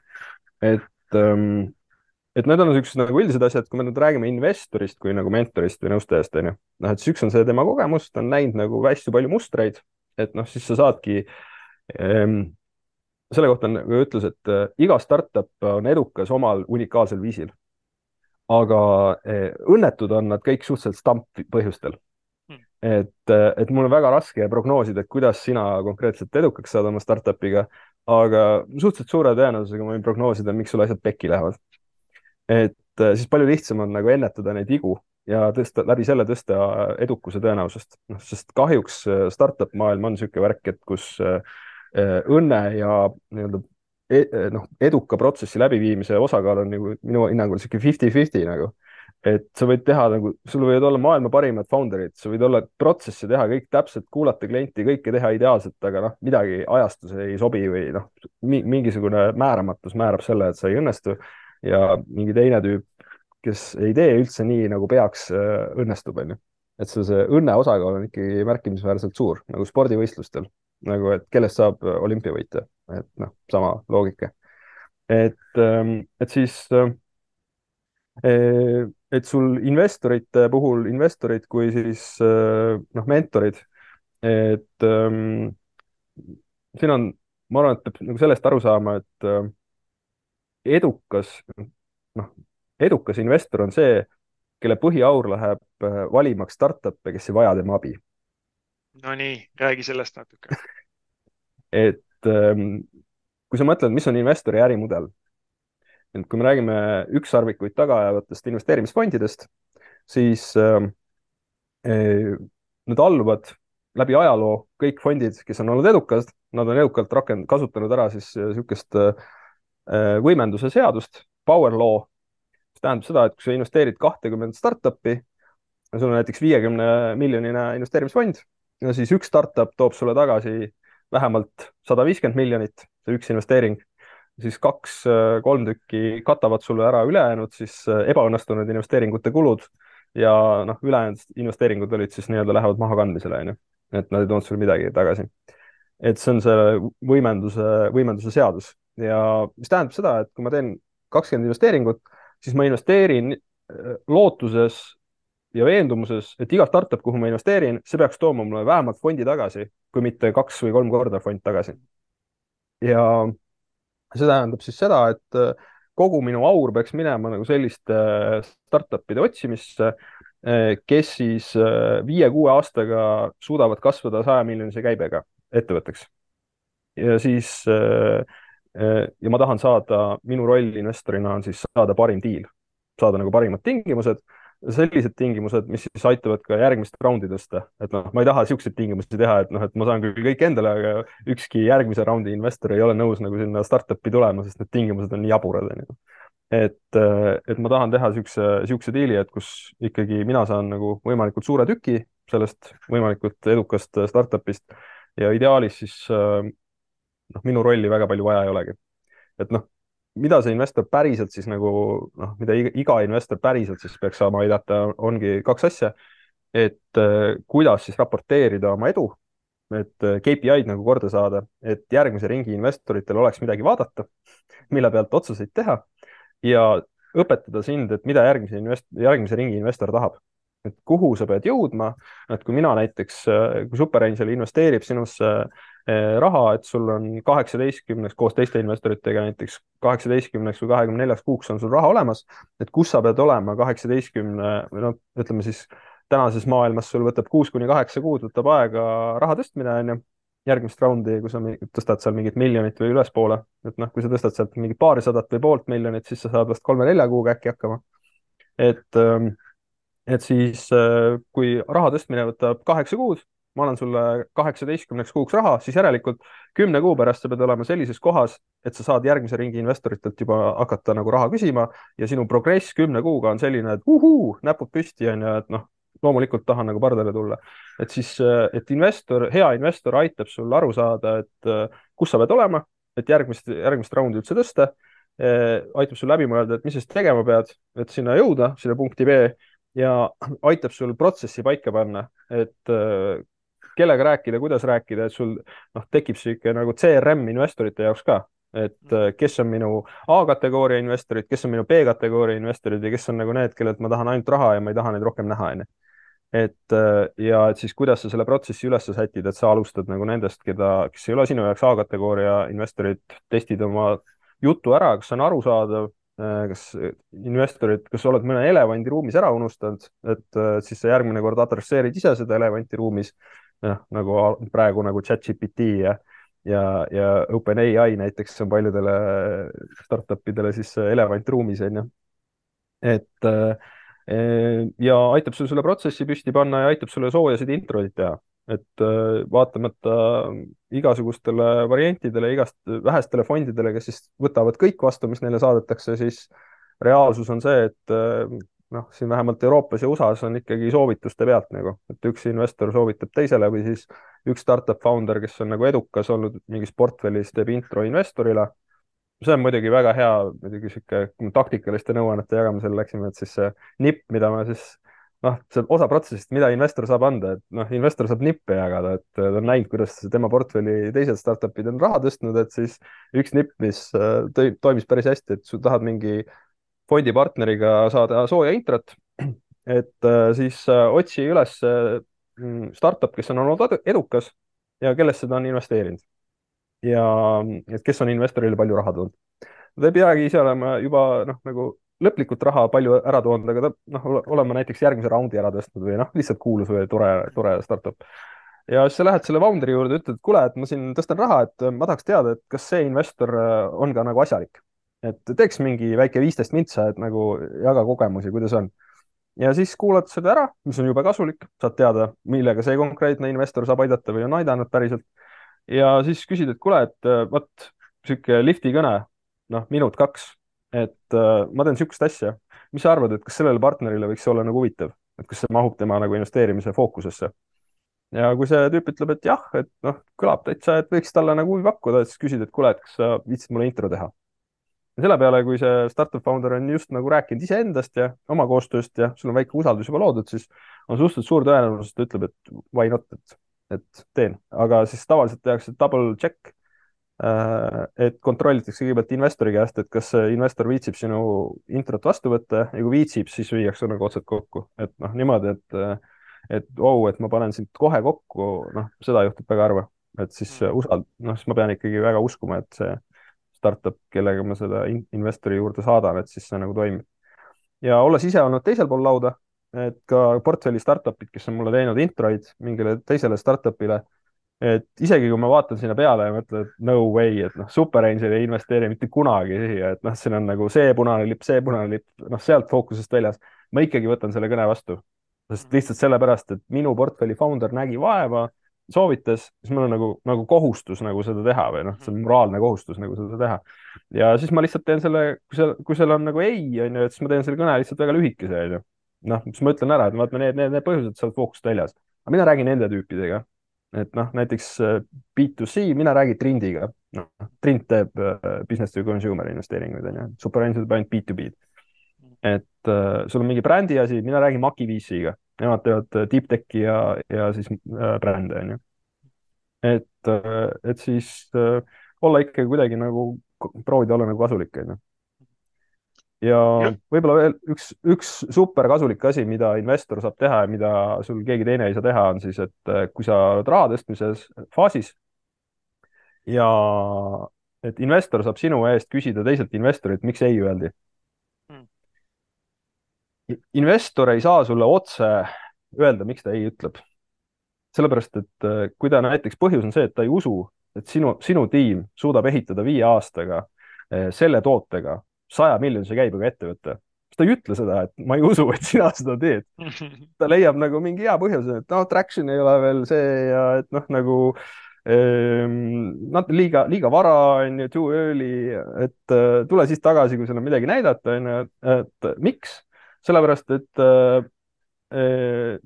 Et need on niisugused nagu üldised asjad, kui me nüüd räägime investorist kui nagu mentorist või nõustajast, on ju. Noh, et üks on see tema kogemus, ta on näinud nagu hästi palju mustreid, et noh, siis sa saadki selle kohta on nagu ütlus, et iga startup on edukas omal unikaalsel viisil. Aga õnnetud on nad kõik suhteliselt stamp põhjustel. Et mul on väga raske prognoosida, et kuidas sina konkreetselt edukaks saad oma startup'iga, aga suhteliselt suure tõenäosusega ma võin prognoosida, miks sul asjad pekki lähevad. Et siis palju lihtsam on nagu ennetada neid vigu ja läbi selle tõsta edukuse tõenäosust. No, sest kahjuks startup maailm on niisugune värk, et kus õnne ja nii-öelda eduka protsessi läbiviimise osakaal on nagu minu hinnangul niisugune 50-50 nagu. Et sa võid teha nagu, sul võid olla maailma parimad founderid, sa võid olla protsessi teha kõik täpselt, kuulata klienti, kõike teha ideaalselt, aga noh, midagi ajastus ei sobi või noh, mingisugune määramatus määrab selle, et sa ei õnnestu ja mingi teine tüüp, kes ei tee üldse nii, nagu peaks, õnnestub, on ju. Et see õnne osakaal on ikkagi märkimisväärselt suur, nagu spordivõistlustel, nagu et kellest saab olümpiavõitja, et noh, sama loogika. Et siis et sul investorite puhul, investorid kui siis mentorid, et siin on, ma arvan, et peab nagu sellest aru saama, et edukas investor on see, kelle põhiaur läheb valimaks startup'e, kes ei vaja tema abi. No nii, räägi sellest natuke. et kui sa mõtled, mis on investori ärimudel, et kui me räägime ükssarvikuid taga ajavatest investeerimisfondidest, siis need alluvad läbi ajaloo, kõik fondid, kes on olnud edukad, nad on edukalt kasutanud ära siis niisugust võimenduse seadust, power law, mis tähendab seda, et kui sa investeerid 20 startup'i, sul on näiteks 50-miljonine investeerimisfond ja siis üks startup toob sulle tagasi vähemalt 150 miljonit, see üks investeering, siis 2-3 tükki katavad sulle ära ülejäänud siis ebaõnnestunud investeeringute kulud ja noh, ülejäänud investeeringud olid siis nii-öelda lähevad mahakandmisele, onju. Et nad ei toonud sulle midagi tagasi. Et see on see võimenduse seadus ja mis tähendab seda, et kui ma teen 20 investeeringut, siis ma investeerin lootuses ja veendumuses, et iga startup, kuhu ma investeerin, see peaks tooma mulle vähemalt fondi tagasi, kui mitte 2 või 3 korda fond tagasi. Ja see tähendab siis seda, et kogu minu aur peaks minema nagu selliste startup'ide otsimisse, kes siis 5-6 aastaga suudavad kasvada 100-miljonise käibega ettevõtteks. Ja siis ja ma tahan saada, minu roll investorina on siis saada parim diil, saada nagu parimad tingimused, sellised tingimused, mis siis aitavad ka järgmist raundi tõsta. Et noh, ma ei taha siukseid tingimusi teha, et noh, et ma saan küll kõik endale, aga ükski järgmise raundi investor ei ole nõus nagu sinna startup'i tulema, sest need tingimused on nii jaburad. Et ma tahan teha siukse diili, et kus ikkagi mina saan nagu võimalikult suure tüki sellest võimalikult edukast startup'ist ja ideaalis siis noh, minu rolli väga palju vaja ei olegi. Et noh, mida see investor päriselt siis nagu noh, mida iga investor päriselt siis peaks saama aidata, ongi 2 asja. Et kuidas siis raporteerida oma edu, et KPI-d nagu korda saada, et järgmise ringi investoritel oleks midagi vaadata, mille pealt otsuseid teha ja õpetada sind, et mida järgmise ringi investor tahab. Et kuhu sa pead jõudma, et kui mina näiteks, kui SuperAngel investeerib sinusse raha, et sul on 18 koos teiste investoritega näiteks 18 või 24 kuuks on sul raha olemas, et kus sa pead olema 18 või noh, ütleme siis tänases maailmas sul võtab 6-8 kuud võtab aega raha tõstmine, on ju, järgmist raundi, kui sa tõstad seal mingit miljonit või ülespoole, et noh, kui sa tõstad sealt mingit paarisadat või poolt miljonit, siis sa saad vast 3-4 kuuga äkki hakkama. Et siis, kui raha tõstmine võtab 8 kuud, ma annan sulle 18 kuuks raha, siis järelikult 10 kuu pärast sa pead olema sellises kohas, et sa saad järgmise ringi investoritelt juba hakata nagu raha küsima ja sinu progress 10 kuuga on selline, et näpud püsti on ja et noh, loomulikult tahan nagu pardale tulla. Et siis, et hea investor aitab sul aru saada, et kus sa pead olema, et järgmist raundi üldse tõsta, aitab sul läbi mõelda, et mis siis tegema pead, et sinna jõuda, sinna punkti B ja aitab sul protsessi paika panna, et kellega rääkida, kuidas rääkida, et sul noh, tekib sihuke nagu CRM investorite jaoks ka, et kes on minu A-kategooria investorid, kes on minu B-kategooria investorid ja kes on nagu need, kellelt ma tahan ainult raha ja ma ei taha neid rohkem näha, onju. Ja et siis kuidas sa selle protsessi üles sätid, et sa alustad nagu nendest, kes ei ole sinu jaoks A-kategooria investorid, testid oma jutu ära, kas see on arusaadav, kas investorid, kas oled mõne elevandi ruumis ära unustanud, et siis sa järgmine kord adresseerid ise seda elevanti ruumis, nagu praegu nagu ChatGPT ja OpenAI näiteks on paljudele startupidele siis elevant ruumis, on ju. Et ja aitab sul selle protsessi püsti panna ja aitab sulle soojasid introid teha. Et vaatamata igasugustele variantidele, vähestele fondidele, kes siis võtavad kõik vastu, mis neile saadetakse, siis reaalsus on see, et noh, siin vähemalt Euroopas ja USA-s on ikkagi soovituste pealt nagu, et üks investor soovitab teisele või siis üks startup founder, kes on nagu edukas olnud mingis portfellis, teeb intro investorile. See on muidugi väga hea, muidugi sihuke taktikaliste nõuannete jagamisel läksime, et siis see nipp, mida ma siis noh, see osa protsessist, mida investor saab anda, et noh, investor saab nippe jagada, et ta on näinud, kuidas tema portfelli teised startup'id on raha tõstnud, et siis üks nipp, mis toimis päris hästi, et sa tahad mingi fondipartneriga saada sooja introt, et siis otsi üles startup, kes on olnud edukas ja kellesse ta on investeerinud. Ja et kes on investorile palju raha toonud. Ta ei peagi ise olema juba noh, nagu lõplikult raha palju ära toonud, aga ta noh, olema näiteks järgmise raundi ära tõstnud või noh, lihtsalt kuulus või tore startup. ja siis sa lähed selle founderi juurde, ütled, et kuule, et ma siin tõstan raha, et ma tahaks teada, et kas see investor on ka nagu asjalik. Et teeks mingi väike 15 mintsa, et nagu jaga kogemusi, kuidas on. Ja siis kuulad seda ära, mis on jube kasulik, saad teada, millega see konkreetne investor saab aidata või on aidanud päriselt. Ja siis küsid, et kuule, et vot sihuke lifti kõne, noh, minut-kaks, et ma teen sihukest asja. Mis sa arvad, et kas sellele partnerile võiks olla nagu huvitav, et kas see mahub tema nagu investeerimise fookusesse? Ja kui see tüüp ütleb, et jah, et noh, kõlab täitsa, et võiks talle nagu huvi pakkuda, et siis küsid, et kuule, et kas sa viitsid mulle intro teha. Ja selle peale, kui see startup founder on just nagu rääkinud iseendast ja oma koostööst ja sul on väike usaldus juba loodud, siis on suhteliselt suur tõenäosus, et ta ütleb, et why not, et teen. Aga siis tavaliselt tehakse double check, et kontrollitakse kõigepealt investori käest, et kas see investor viitsib sinu introt vastu võtta ja kui viitsib, siis viiakse nagu otsad kokku. Et noh, niimoodi, et et ma panen sind kohe kokku, noh, seda juhtub väga harva. Et siis noh, siis ma pean ikkagi väga uskuma, et see startup, kellega ma seda investori juurde saadan, et siis see nagu toimib. Ja olles ise olnud teisel pool lauda, et ka portfelli startupid, kes on mulle teinud introid mingile teisele startupile, et isegi kui ma vaatan sinna peale ja mõtlen, et no way, et noh, SuperAngel ei investeeri mitte kunagi siia, et noh, siin on nagu see punane lipp, noh, sealt fookusest väljas. Ma ikkagi võtan selle kõne vastu, sest lihtsalt sellepärast, et minu portfelli founder nägi vaeva, soovitas, siis mul on nagu kohustus nagu seda teha või noh, see on moraalne kohustus nagu seda teha. Ja siis ma lihtsalt teen selle, kui seal on nagu ei, on ju, et siis ma teen selle kõne lihtsalt väga lühikese, on ju. Noh, siis ma ütlen ära, et vaata need põhjused saavad fookust väljas. Aga mina räägin nende tüüpidega. Et noh, näiteks B2C, mina räägin Trindiga. No, Trind teeb business to consumer investeeringuid, on ju. SuperAngel teeb ainult B2B-d. Et sul on mingi brändi asi, mina räägin Makiviisiga. Nemad teevad deep tech'i ja siis brände, on ju. Et siis olla ikkagi kuidagi nagu, proovida olla nagu kasulik, on ju. Ja võib-olla veel üks super kasulik asi, mida investor saab teha ja mida sul keegi teine ei saa teha, on siis, et kui sa oled raha tõstmises faasis ja et investor saab sinu eest küsida teiselt investorilt, miks ei öeldi. Investor ei saa sulle otse öelda, miks ta ei ütleb. Sellepärast, et kui ta näiteks põhjus on see, et ta ei usu, et sinu tiim suudab ehitada 5 aastaga selle tootega 100 miljonise käibega ettevõtte. Ta ei ütle seda, et ma ei usu, et sina seda teed. Ta leiab nagu mingi hea põhjuse, et noh, traction ei ole veel see ja et noh, nagu liiga vara, on ju, too early, et tule siis tagasi, kui sul on midagi näidata, on ju, et miks? Sellepärast, et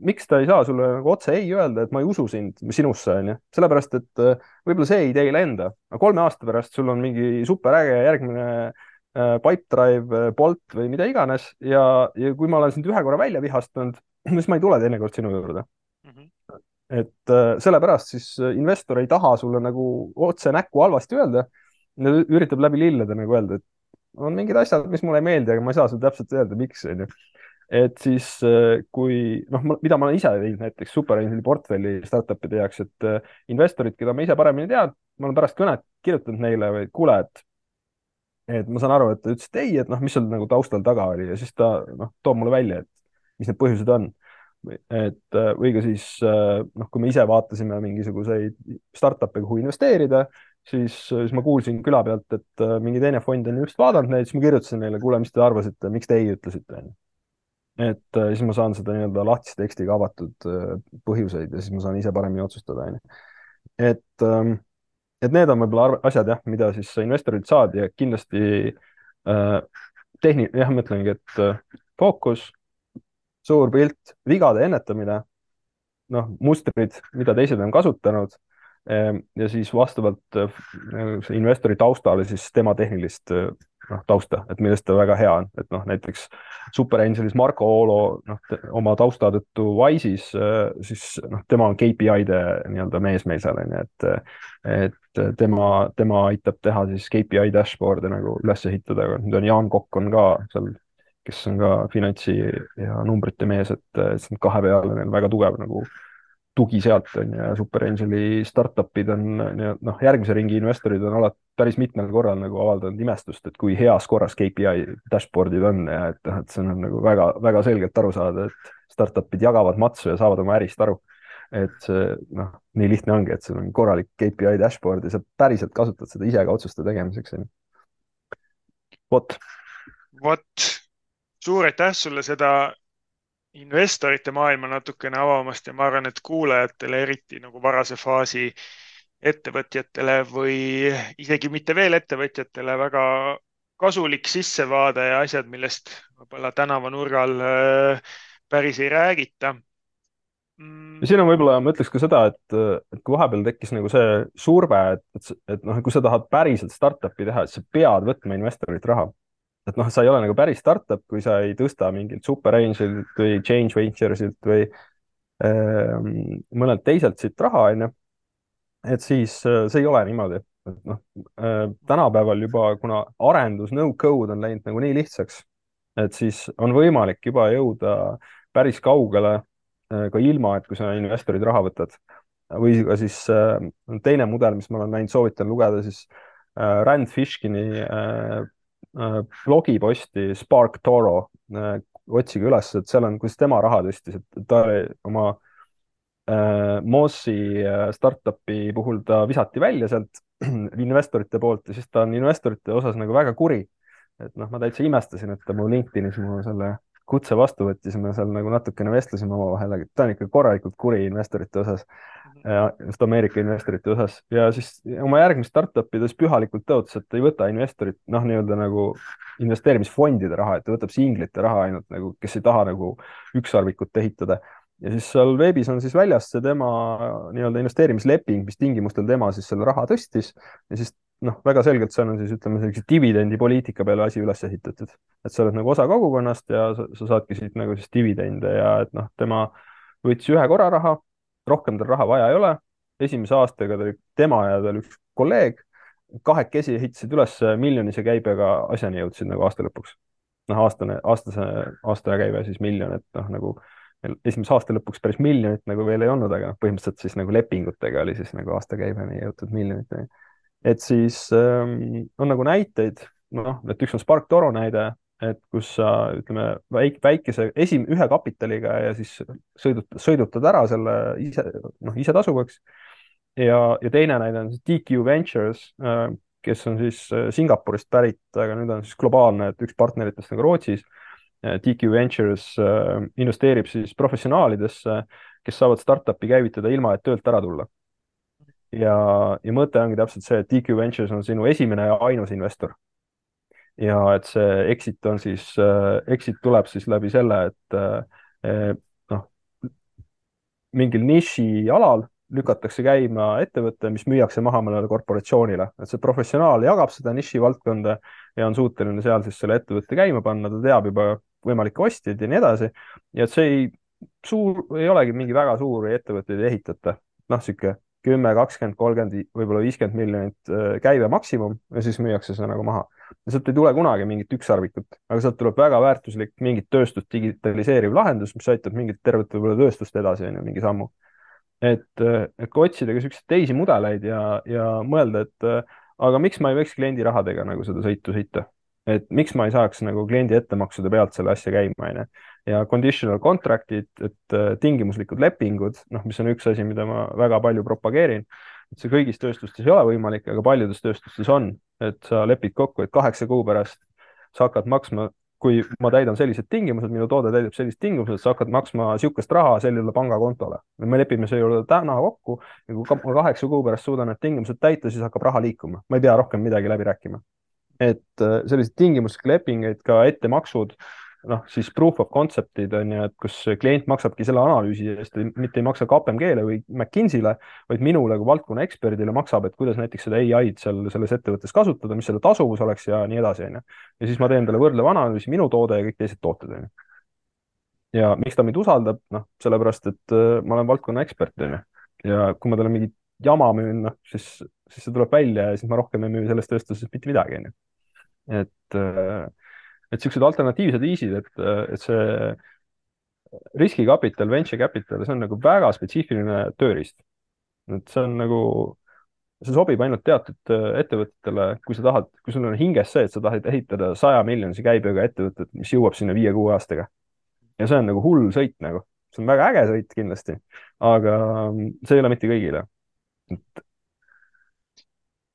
miks ta ei saa sulle nagu otse ei öelda, et ma ei usu sinusse, on ju. Sellepärast, et võib-olla see idee ei lenda. 3 aasta pärast sul on mingi superäge järgmine Pipedrive, Bolt või mida iganes ja kui ma olen sind ühe korra välja vihastanud, siis ma ei tule teinekord sinu juurde. Et sellepärast siis investor ei taha sulle nagu otse näkku halvasti öelda, üritab läbi lillede nagu öelda, et on mingid asjad, mis mulle ei meeldi, aga ma ei saa sulle täpselt öelda, miks, on ju. Et siis kui, noh, mida ma olen ise teinud näiteks SuperAngeli portfelli startupide jaoks, et investorid, keda ma ise paremini tean, ma olen pärast kõnet kirjutanud neile või kuule, et ma saan aru, et ta ütles, et ei, et noh, mis seal nagu taustal taga oli ja siis ta noh, toob mulle välja, et mis need põhjused on. Et või ka siis, noh, kui me ise vaatasime mingisuguseid startup'e, kuhu investeerida, siis ma kuulsin küla pealt, et mingi teine fond on just vaadanud neid, siis ma kirjutasin neile, kuule, mis te arvasite, miks te ei ütlesite. Et siis ma saan seda nii-öelda lahtise tekstiga avatud põhjuseid ja siis ma saan ise paremini otsustada. Et need on võib-olla asjad, jah, mida siis investorilt saad ja kindlasti jah, ma ütlengi, et fookus, suur pilt, vigade ennetamine, noh, mustrid, mida teised on kasutanud ja siis vastavalt investori taustale siis tema tehnilist tausta, et millest ta väga hea on, et noh, näiteks SuperAngelis Marko Oolo oma tausta tõttu Wise'is, siis noh, tema on KPI-de nii-öelda mees meil seal, et tema aitab teha siis KPI dashboard'e nagu üles ehitada, nüüd on Jaan Kokk on ka seal, kes on ka finantsi ja numbrite mees, et kahe peale neil väga tugev nagu tugi sealt on ja SuperAngeli startup'id on, noh, järgmise ringi investorid on alati päris mitmel korral nagu avaldanud imestust, et kui heas korras KPI dashboard'id on ja et see on nagu väga, väga selgelt aru saada, et startup'id jagavad matsu ja saavad oma ärist aru. et see noh, nii lihtne ongi, et sul on korralik KPI dashboard ja sa päriselt kasutad seda ise ka otsuste tegemiseks. Vot. Vot, suur aitäh sulle seda investorite maailma natukene avamast ja ma arvan, et kuulajatele, eriti nagu varase faasi ettevõtjatele või isegi mitte veel ettevõtjatele, väga kasulik sissevaade ja asjad, millest võib-olla tänavanurgal päris ei räägita. Ja siin on võib-olla, ma ütleks ka seda, et kui vahepeal tekkis nagu see surve, et noh, kui sa tahad päriselt startup'i teha, et sa pead võtma investorilt raha. Et noh, sa ei ole nagu päris startup, kui sa ei tõsta mingilt Super Angelilt või Change Venturesilt või mõnelt teiselt siit raha, onju. Et siis see ei ole niimoodi. Et noh, tänapäeval juba, kuna arendus, no code on läinud nagu nii lihtsaks, et siis on võimalik juba jõuda päris kaugele ka ilma, et kui sa investorid raha võtad. Või ka siis teine mudel, mis ma olen näinud, soovitan lugeda siis Rand Fishkini blogiposti Spark Toro. Otsige üles, et seal on, kuidas tema raha tõstis, et ta oli oma Mozi startupi puhul ta visati välja sealt investorite poolt ja siis ta on investorite osas nagu väga kuri. Et noh, ma täitsa imestasin, et ta mu LinkedInis mu selle kutse vastu võttis, me seal nagu natukene vestlesime omavahel, aga ta on ikka korralikult kuri investorite osas, just Ameerika investorite osas. Ja siis oma järgmist startupides pühalikult tõotas, et ei võta investorit, noh, nii-öelda nagu investeerimisfondide raha, et ta võtab singlite raha ainult nagu, kes ei taha nagu ükssarvikut ehitada. Ja siis seal veebis on siis väljas see tema nii-öelda investeerimisleping, mis tingimustel tema siis selle raha tõstis ja siis noh, väga selgelt seal on siis ütleme sellise dividendipoliitika peale asi üles ehitatud, et sa oled nagu osa kogukonnast ja sa saadki siit nagu siis dividende ja et noh, tema võttis ühe korra raha, rohkem tal raha vaja ei ole. Esimese aastaga tema ja tal üks kolleeg kahekesi ehitasid üles miljonise käibega asjani jõudsid nagu aasta lõpuks. Noh, aasta käive siis miljon, et noh, nagu esimese aasta lõpuks päris miljonit nagu veel ei olnud, aga põhimõtteliselt siis nagu lepingutega oli siis nagu aasta käiveni jõutud miljonit. Et siis on nagu näiteid, noh, et üks on Spark Toro näide, et kus sa ütleme väikese ühe kapitaliga ja siis sõidutad ära selle ise tasuvaks. Ja teine näide on siis DQ Ventures, kes on siis Singapurist pärit, aga nüüd on siis globaalne, et üks partneritest nagu Rootsis. DQ Ventures investeerib siis professionaalidesse, kes saavad startupi käivitada ilma, et töölt ära tulla. Ja mõte ongi täpselt see, et DQ Ventures on sinu esimene ja ainus investor. Ja et see exit tuleb siis läbi selle, et noh, mingil niši alal lükatakse käima ettevõtte, mis müüakse maha mõnele korporatsioonile. Et see professionaal jagab seda niši valdkonda ja on suuteline seal siis selle ettevõtte käima panna, ta teab juba võimalikke ostjaid ja nii edasi. Ja et see ei olegi mingi väga suuri ettevõtteid ehitata. Noh, siuke 10, 20, 30, võib-olla 50 miljonit käive maksimum ja siis müüakse see nagu maha. Ja sealt ei tule kunagi mingit ükssarvikut, aga sealt tuleb väga väärtuslik mingit tööstust digitaliseeriv lahendus, mis aitab mingit tervet võib-olla tööstust edasi, mingi sammu. Et kui otsida ka selliseid teisi mudeleid ja mõelda, et aga miks ma ei võiks kliendi rahadega nagu seda sõitu sõita? Et miks ma ei saaks nagu kliendi ettemaksude pealt selle asja käima, ja conditional contract'id, et tingimuslikud lepingud, noh, mis on üks asi, mida ma väga palju propageerin, et see kõigis tööstustes ei ole võimalik, aga paljudes tööstustes on, et sa lepid kokku, et 8 kuu pärast sa hakkad maksma, kui ma täidan sellised tingimused, minu toode täidab sellised tingimused, sa hakkad maksma sihukest raha sellele pangakontole. Me lepime see juurde täna kokku ja kui ma 8 kuu pärast suudan need tingimused täita, siis hakkab raha liikuma. Ma ei pea rohkem midagi läbi rääkima. Et sellised tingimuslikud lepingeid, ka ettemaksud, noh, siis proof of concept'id on ju, et kus klient maksabki selle analüüsi eest, mitte ei maksa KPMG-le või McKinsey'le, vaid minule kui valdkonna eksperdile maksab, et kuidas näiteks seda AI-d selles ettevõttes kasutada, mis selle tasuvus oleks ja nii edasi, on ju. Ja siis ma teen talle võrdleva analüüsi, minu toode ja kõik teised tooted, on ju. Ja miks ta mind usaldab? Noh, sellepärast, et ma olen valdkonna ekspert, on ju. Ja kui ma talle mingi jama müün, noh, siis see tuleb välja ja siis ma rohkem ei müü selles tööstuses mitte midagi, on ju. Et sellised alternatiivsed viisid, et see riskikapital, venture capital, see on nagu väga spetsiifiline tööriist. Et see on nagu, see sobib ainult teatud ettevõtetele, kui sul on hinges see, et sa tahad ehitada 100 miljonise käibega ettevõtet, mis jõuab sinna 5-6 aastaga. Ja see on nagu hull sõit nagu. see on väga äge sõit kindlasti, aga see ei ole mitte kõigile.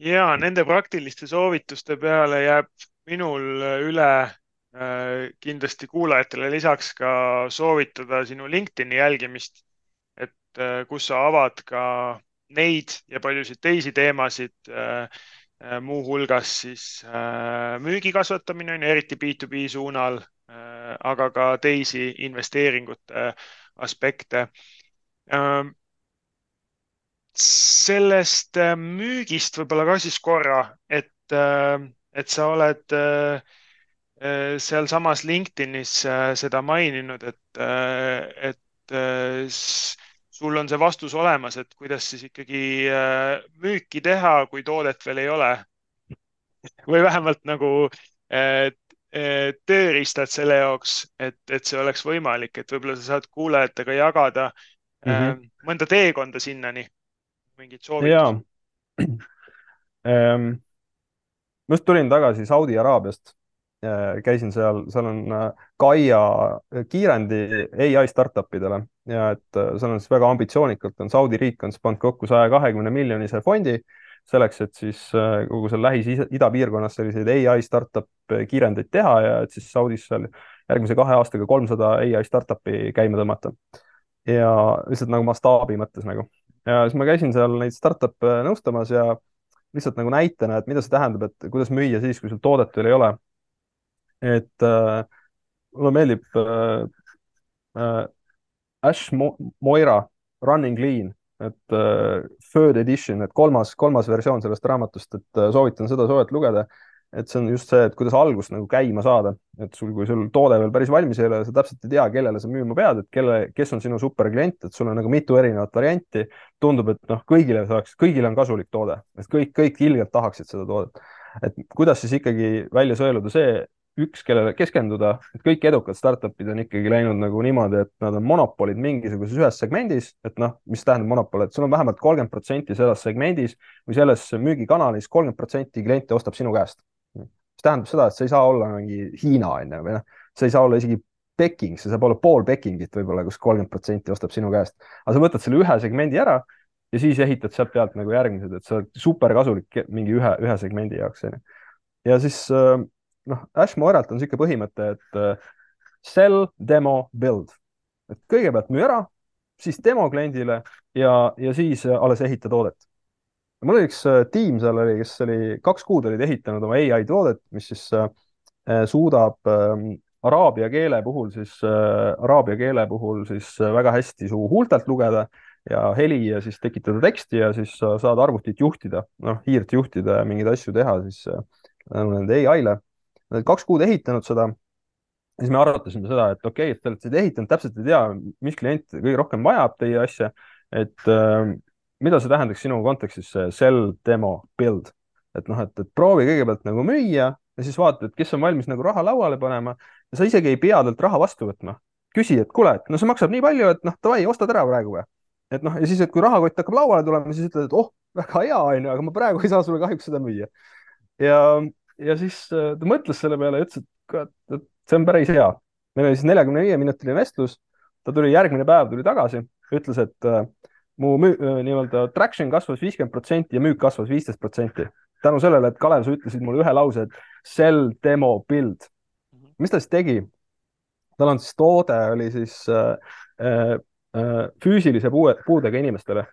Ja nende praktiliste soovituste peale jääb minul üle kindlasti kuulajatele lisaks ka soovitada sinu LinkedIni jälgimist, et kus sa avad ka neid ja paljusid teisi teemasid, muuhulgas siis müügi kasvatamine, eriti B2B suunal, aga ka teisi investeeringute aspekte. Sellest müügist võib-olla ka siis korra, et sa oled sealsamas LinkedInis seda maininud, et sul on see vastus olemas, et kuidas siis ikkagi müüki teha, kui toodet veel ei ole. Või vähemalt nagu tööriistad selle jaoks, et see oleks võimalik, et võib-olla sa saad kuulajatega jagada mõnda teekonda sinnani, mingid soovitused. Ma just tulin tagasi Saudi Araabiast. Käisin seal on Gaia kiirendi AI startupidele ja et seal on siis väga ambitsioonikalt on Saudi riik on siis pannud kokku 120 miljonise fondi selleks, et siis kogu seal Lähis-Ida piirkonnas selliseid AI startup kiirendeid teha ja et siis Saudis seal järgmise 2 aastaga 300 AI startupi käima tõmmata. Ja lihtsalt nagu mastaabi mõttes nagu. Ja siis ma käisin seal neid startup nõustamas ja lihtsalt nagu näitena, et mida see tähendab, et kuidas müüa siis, kui sul toodet veel ei ole. Et mulle meeldib Ash Moira Running Lean, et third edition, et kolmas versioon sellest raamatust, et soovitan seda soojalt lugeda, et see on just see, et kuidas algust nagu käima saada, et kui sul toode veel päris valmis ei ole, sa täpselt ei tea, kellele sa müüma pead, et kes on sinu superklient, et sul on nagu mitu erinevat varianti, tundub, et kõigile on kasulik toode, et kõik ilgelt tahaksid seda toodet, et kuidas siis ikkagi välja sõeluda see, üks, kellele keskenduda, et kõik edukad startupid on ikkagi läinud nagu niimoodi, et nad on monopolid mingisuguses ühes segmendis, et mis tähendab monopol, et sul on vähemalt 30% selles segmendis või selles müügikanalis 30% kliente ostab sinu käest. Mis tähendab seda, et sa ei saa olla mingi Hiina või sa ei saa olla isegi Peking, see saab olla pool Pekingit võib-olla, kus 30% ostab sinu käest. Aga sa võtad selle ühe segmendi ära ja siis ehitad sealt pealt nagu järgmised, et see on super kasulik mingi ühe segmendi jaoks. Ja siis Ash Moiralt on siuke põhimõte, et sell, demo, build. Et kõigepealt müü ära, siis demo kliendile ja siis alles ehita toodet. Mul oli üks tiim seal oli, kes oli 2 kuud olid ehitanud oma AI toodet, mis siis suudab araabia keele puhul siis väga hästi su huultelt lugeda ja heli ja siis tekitada teksti ja siis saad arvutit juhtida, hiirt juhtida ja mingeid asju teha siis nende AI-le. Nad 2 kuud ehitanud seda, siis me arutasime seda, et okei, et te olete ehitanud, täpselt ei tea, mis klient kõige rohkem vajab teie asja, et mida see tähendaks sinu kontekstis sell, demo, build. Et proovi kõigepealt nagu müüa ja siis vaata, et kes on valmis nagu raha lauale panema ja sa isegi ei pea talt raha vastu võtma. Küsi, et kuule, et see maksab nii palju, et davai, ostad ära praegu või. Et ja siis, et kui rahakott hakkab lauale tulema, siis ütled, et väga hea, aga ma praegu ei saa sulle kahjuks seda müüa. Ja siis ta mõtles selle peale ja ütles, et see on päris hea. Meil oli siis 45-minutiline vestlus, ta tuli järgmine päev, tuli tagasi, ütles, et mu nii-öelda traction kasvas 50% ja müük kasvas 15%. Tänu sellele, et Kalev, sa ütlesid mulle ühe lause, et sell, demo, build. Mis ta siis tegi? Tal on siis toode, oli siis füüsilise puudega inimestele.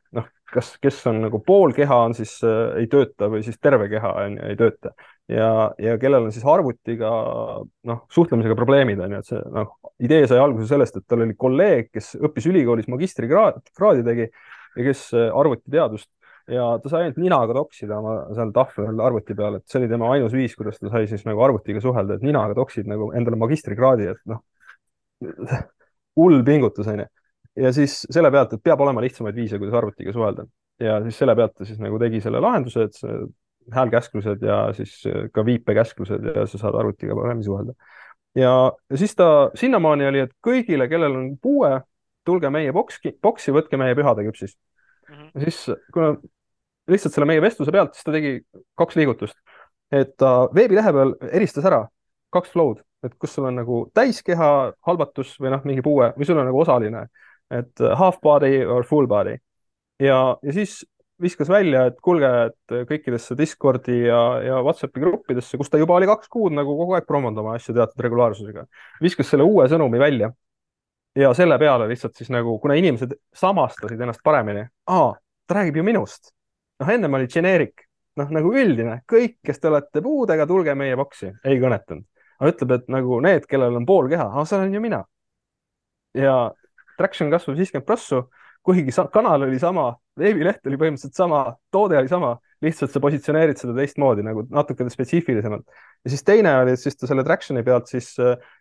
Kes on nagu pool keha on siis ei tööta või siis terve keha ei tööta. Ja kellel on siis arvutiga suhtlemisega probleemid on ju, et see idee sai alguse sellest, et tal oli kolleeg, kes õppis ülikoolis magistrikraadi tegi ja kes arvutiteadust ja ta sai ainult ninaga toksida oma seal tahvel arvuti peal, et see oli tema ainus viis, kuidas ta sai siis nagu arvutiga suhelda, et ninaga toksid nagu endale magistrikraadi, et hull pingutus on ju. Ja siis selle pealt, et peab olema lihtsamaid viise, kuidas arvutiga suhelda. Ja siis selle pealt ta siis nagu tegi selle lahenduse, et see häälkäsklused ja siis ka viipekäsklused ja sa saad arvutiga paremini suhelda. Ja siis ta sinnamaani oli, et kõigile, kellel on puue, tulge meie boksi, võtke meie pühade küpsis. Ja siis, kuna lihtsalt selle meie vestluse pealt, siis ta tegi 2 liigutust. Et ta veebilehe peal eristas ära 2 flow'd, et kus sul on nagu täiskeha halvatus või mingi puue või sul on nagu osaline. et half body or full body ja siis viskas välja, et kuulge, et kõikidesse Discordi ja Whatsappi gruppidesse, kus ta juba oli 2 kuud nagu kogu aeg promonud oma asju teatud regulaarsusega, viskas selle uue sõnumi välja ja selle peale lihtsalt siis nagu, kuna inimesed samastasid ennast paremini, ta räägib ju minust. noh, ennem oli generic, nagu üldine, kõik, kes te olete puudega, tulge meie boksi, ei kõnetanud. aga ütleb, et nagu need, kellel on pool keha, see olen ju mina. ja traction kasvab 50%, kuigi kanal oli sama, veebileht oli põhimõtteliselt sama, toode oli sama, lihtsalt sa positsioneerid seda teistmoodi nagu natuke spetsiifilisemalt. ja siis teine oli, et siis ta selle traction'i pealt siis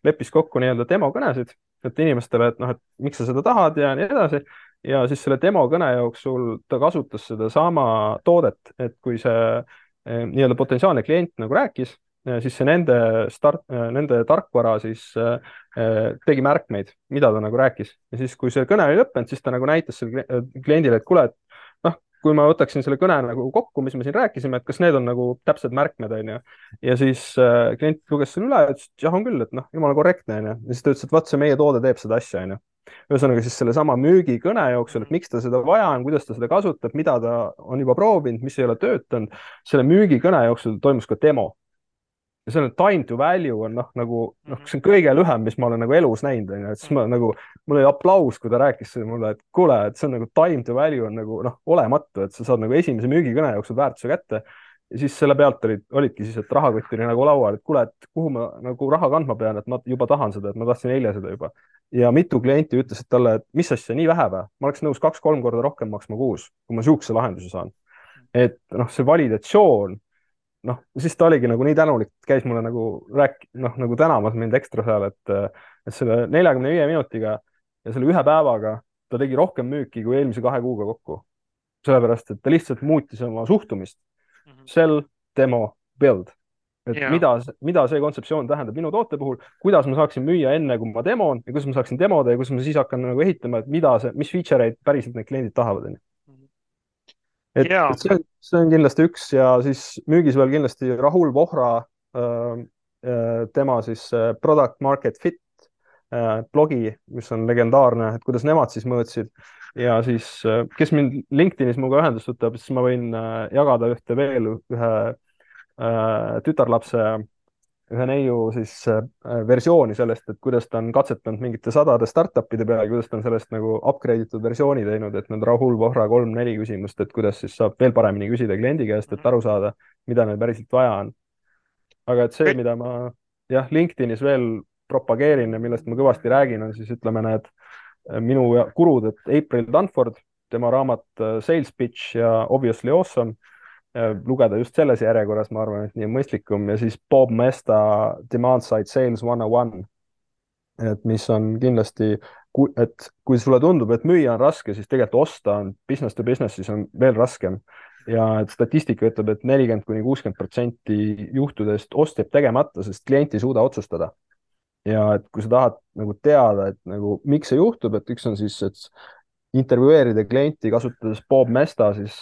leppis kokku nii-öelda demokõnesid, et inimestele, et noh, et miks sa seda tahad ja nii edasi. ja siis selle demokõne jooksul ta kasutas sedasama toodet, et kui see nii-öelda potentsiaalne klient nagu rääkis, siis see nende tarkvara siis tegi märkmeid, mida ta nagu rääkis. ja siis, kui see kõne oli lõppenud, siis ta nagu näitas selle kliendile, et kuule, et noh, kui ma võtaksin selle kõne nagu kokku, mis me siin rääkisime, et kas need on nagu täpsed märkmed, onju. ja siis klient luges selle üle ja ütles, et jah, on küll, et noh, jumala korrektne, onju. ja siis ta ütles, et vaat see meie toode teeb seda asja, onju. ühesõnaga siis sellesama müügikõne jooksul, et miks ta seda vaja on, kuidas ta seda kasutab, mida ta on juba proovinud, mis ei ole töötanud. selle müügikõne jooksul toimus ka demo. ja see on time to value on see on kõige lühem, mis ma olen nagu elus näinud, onju, et siis ma nagu, mul oli aplaus, kui ta rääkis mulle, et kuule, et see on nagu time to value on nagu olematu, et sa saad nagu esimese müügikõne jooksul väärtuse kätte. ja siis selle pealt olidki siis, et rahakott oli nagu laual, et kuule, et kuhu ma nagu raha kandma pean, et ma juba tahan seda, et ma tahtsin eile seda juba. ja mitu klienti ütlesid talle, et mis asja, nii vähe või? ma oleks nõus 2-3 korda rohkem maksma kuus, kui ma sihukese lahenduse saan. et see validatsioon, siis ta oligi nagu nii tänulik, käis mulle nagu nagu tänamas mind ekstra seal, et selle 45 minutiga ja selle ühe päevaga ta tegi rohkem müüki kui eelmise 2 kuuga kokku. sellepärast, et ta lihtsalt muutis oma suhtumist. Sell, demo, build. et mida see kontseptsioon tähendab minu toote puhul, kuidas ma saaksin müüa enne, kui ma demon ja kuidas ma saaksin demoda ja kuidas ma siis hakkan nagu ehitama, et mis feature eid päriselt need kliendid tahavad. et see on kindlasti üks ja siis müügis veel kindlasti Rahul Vohra, tema siis Product Market Fit blogi, mis on legendaarne, et kuidas nemad siis mõõtsid ja siis, kes mind LinkedInis minuga ühendust võtab, siis ma võin jagada ühe tütarlapse, ühe neiu siis versiooni sellest, et kuidas ta on katsetanud mingite sadade startup'ide peale, kuidas ta on sellest nagu upgrade itud versiooni teinud, et need Rahul Vohra 3-4 küsimust, et kuidas siis saab veel paremini küsida kliendi käest, et aru saada, mida neil päriselt vaja on. aga et see, mida ma LinkedInis veel propageerin ja millest ma kõvasti räägin, on siis ütleme need minu gurud, et April Dunford, tema raamat Sales Pitch ja Obviously Awesome, lugeda just selles järjekorras, ma arvan, et nii on mõistlikum, ja siis Bob Mesta Demand Side Sales 101, et mis on kindlasti, et kui sulle tundub, et müüa on raske, siis tegelikult osta on business to business, siis on veel raskem. ja et statistika ütleb, et 40-60% juhtudest ost jääb tegemata, sest klient ei suuda otsustada. ja et kui sa tahad nagu teada, et nagu miks see juhtub, et üks on siis, et intervjueerida klienti kasutades Bob Mesta siis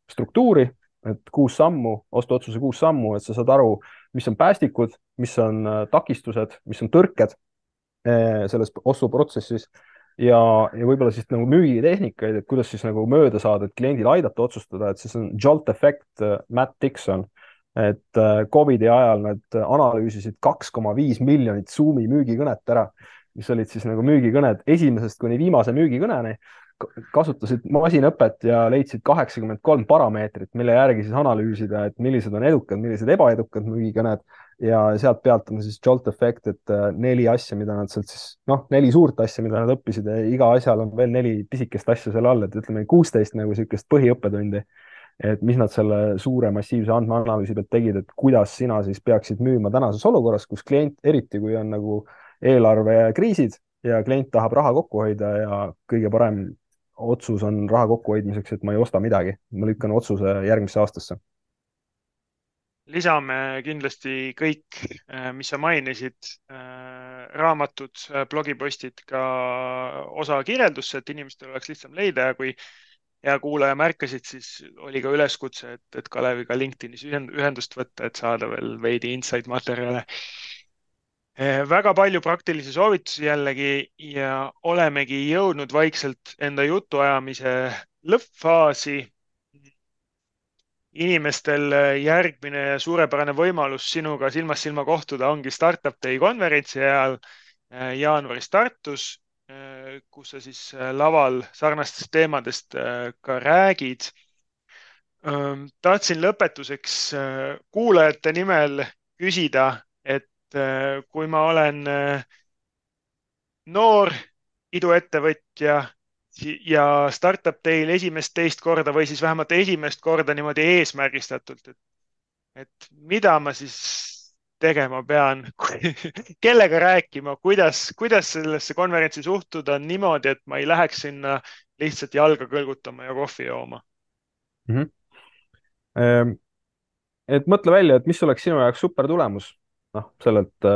struktuuri, et 6 sammu, ostuotsuse 6 sammu, et sa saad aru, mis on päästikud, mis on takistused, mis on tõrked selles ostuprotsessis ja võib-olla siis nagu müügitehnikaid, et kuidas siis nagu mööda saada, et kliendil aidata otsustada, et siis on Jolt Effect, Matt Dixon, et Covidi ajal nad analüüsisid 2,5 miljonit Zoomi müügikõnet ära, mis olid siis nagu müügikõned esimesest kuni viimase müügikõneni, kasutasid masinõpet ja leidsid 83 parameetrit, mille järgi siis analüüsida, et millised on edukad, millised ebaedukad müügikõned ja sealt pealt on siis Jolt Effect, et 4 asja, mida nad sealt siis, 4 suurt asja, mida nad õppisid ja iga asjal on veel 4 pisikest asja selle all, et ütleme 16 nagu niisugust põhiõppetundi, et mis nad selle suure massiivse andmeanalüüsi pealt tegid, et kuidas sina siis peaksid müüma tänases olukorras, kus klient, eriti kui on nagu eelarvekriisid ja klient tahab raha kokku hoida ja kõige parem otsus on raha kokkuhoidmiseks, et ma ei osta midagi, ma lükkan otsuse järgmisse aastasse. Lisame kindlasti kõik, mis sa mainisid, raamatud, blogipostid ka osa kirjeldusse, et inimestel oleks lihtsam leida ja kui hea kuulaja märkasid, siis oli ka üleskutse, et Kaleviga LinkedInis ühendust võtta, et saada veel veidi insight materjale. Väga palju praktilisi soovitusi jällegi ja olemegi jõudnud vaikselt enda jutuajamise lõppfaasi. Inimestel järgmine suurepärane võimalus sinuga silmast silma kohtuda ongi Startup Day konverentsi ajal jaanuaris Tartus, kus sa siis laval sarnastest teemadest ka räägid. Tahtsin lõpetuseks kuulajate nimel küsida, et kui ma olen noor iduettevõtja ja Startup Day'l esimest, teist korda või siis vähemalt esimest korda niimoodi eesmärgistatult, et mida ma siis tegema pean, kellega rääkima, kuidas sellesse konverentsi suhtuda niimoodi, et ma ei läheks sinna lihtsalt jalga kõlgutama ja kohvi jooma. mm. -hmm. Et mõtle välja, et mis oleks sinu jaoks super tulemus, noh, sellelt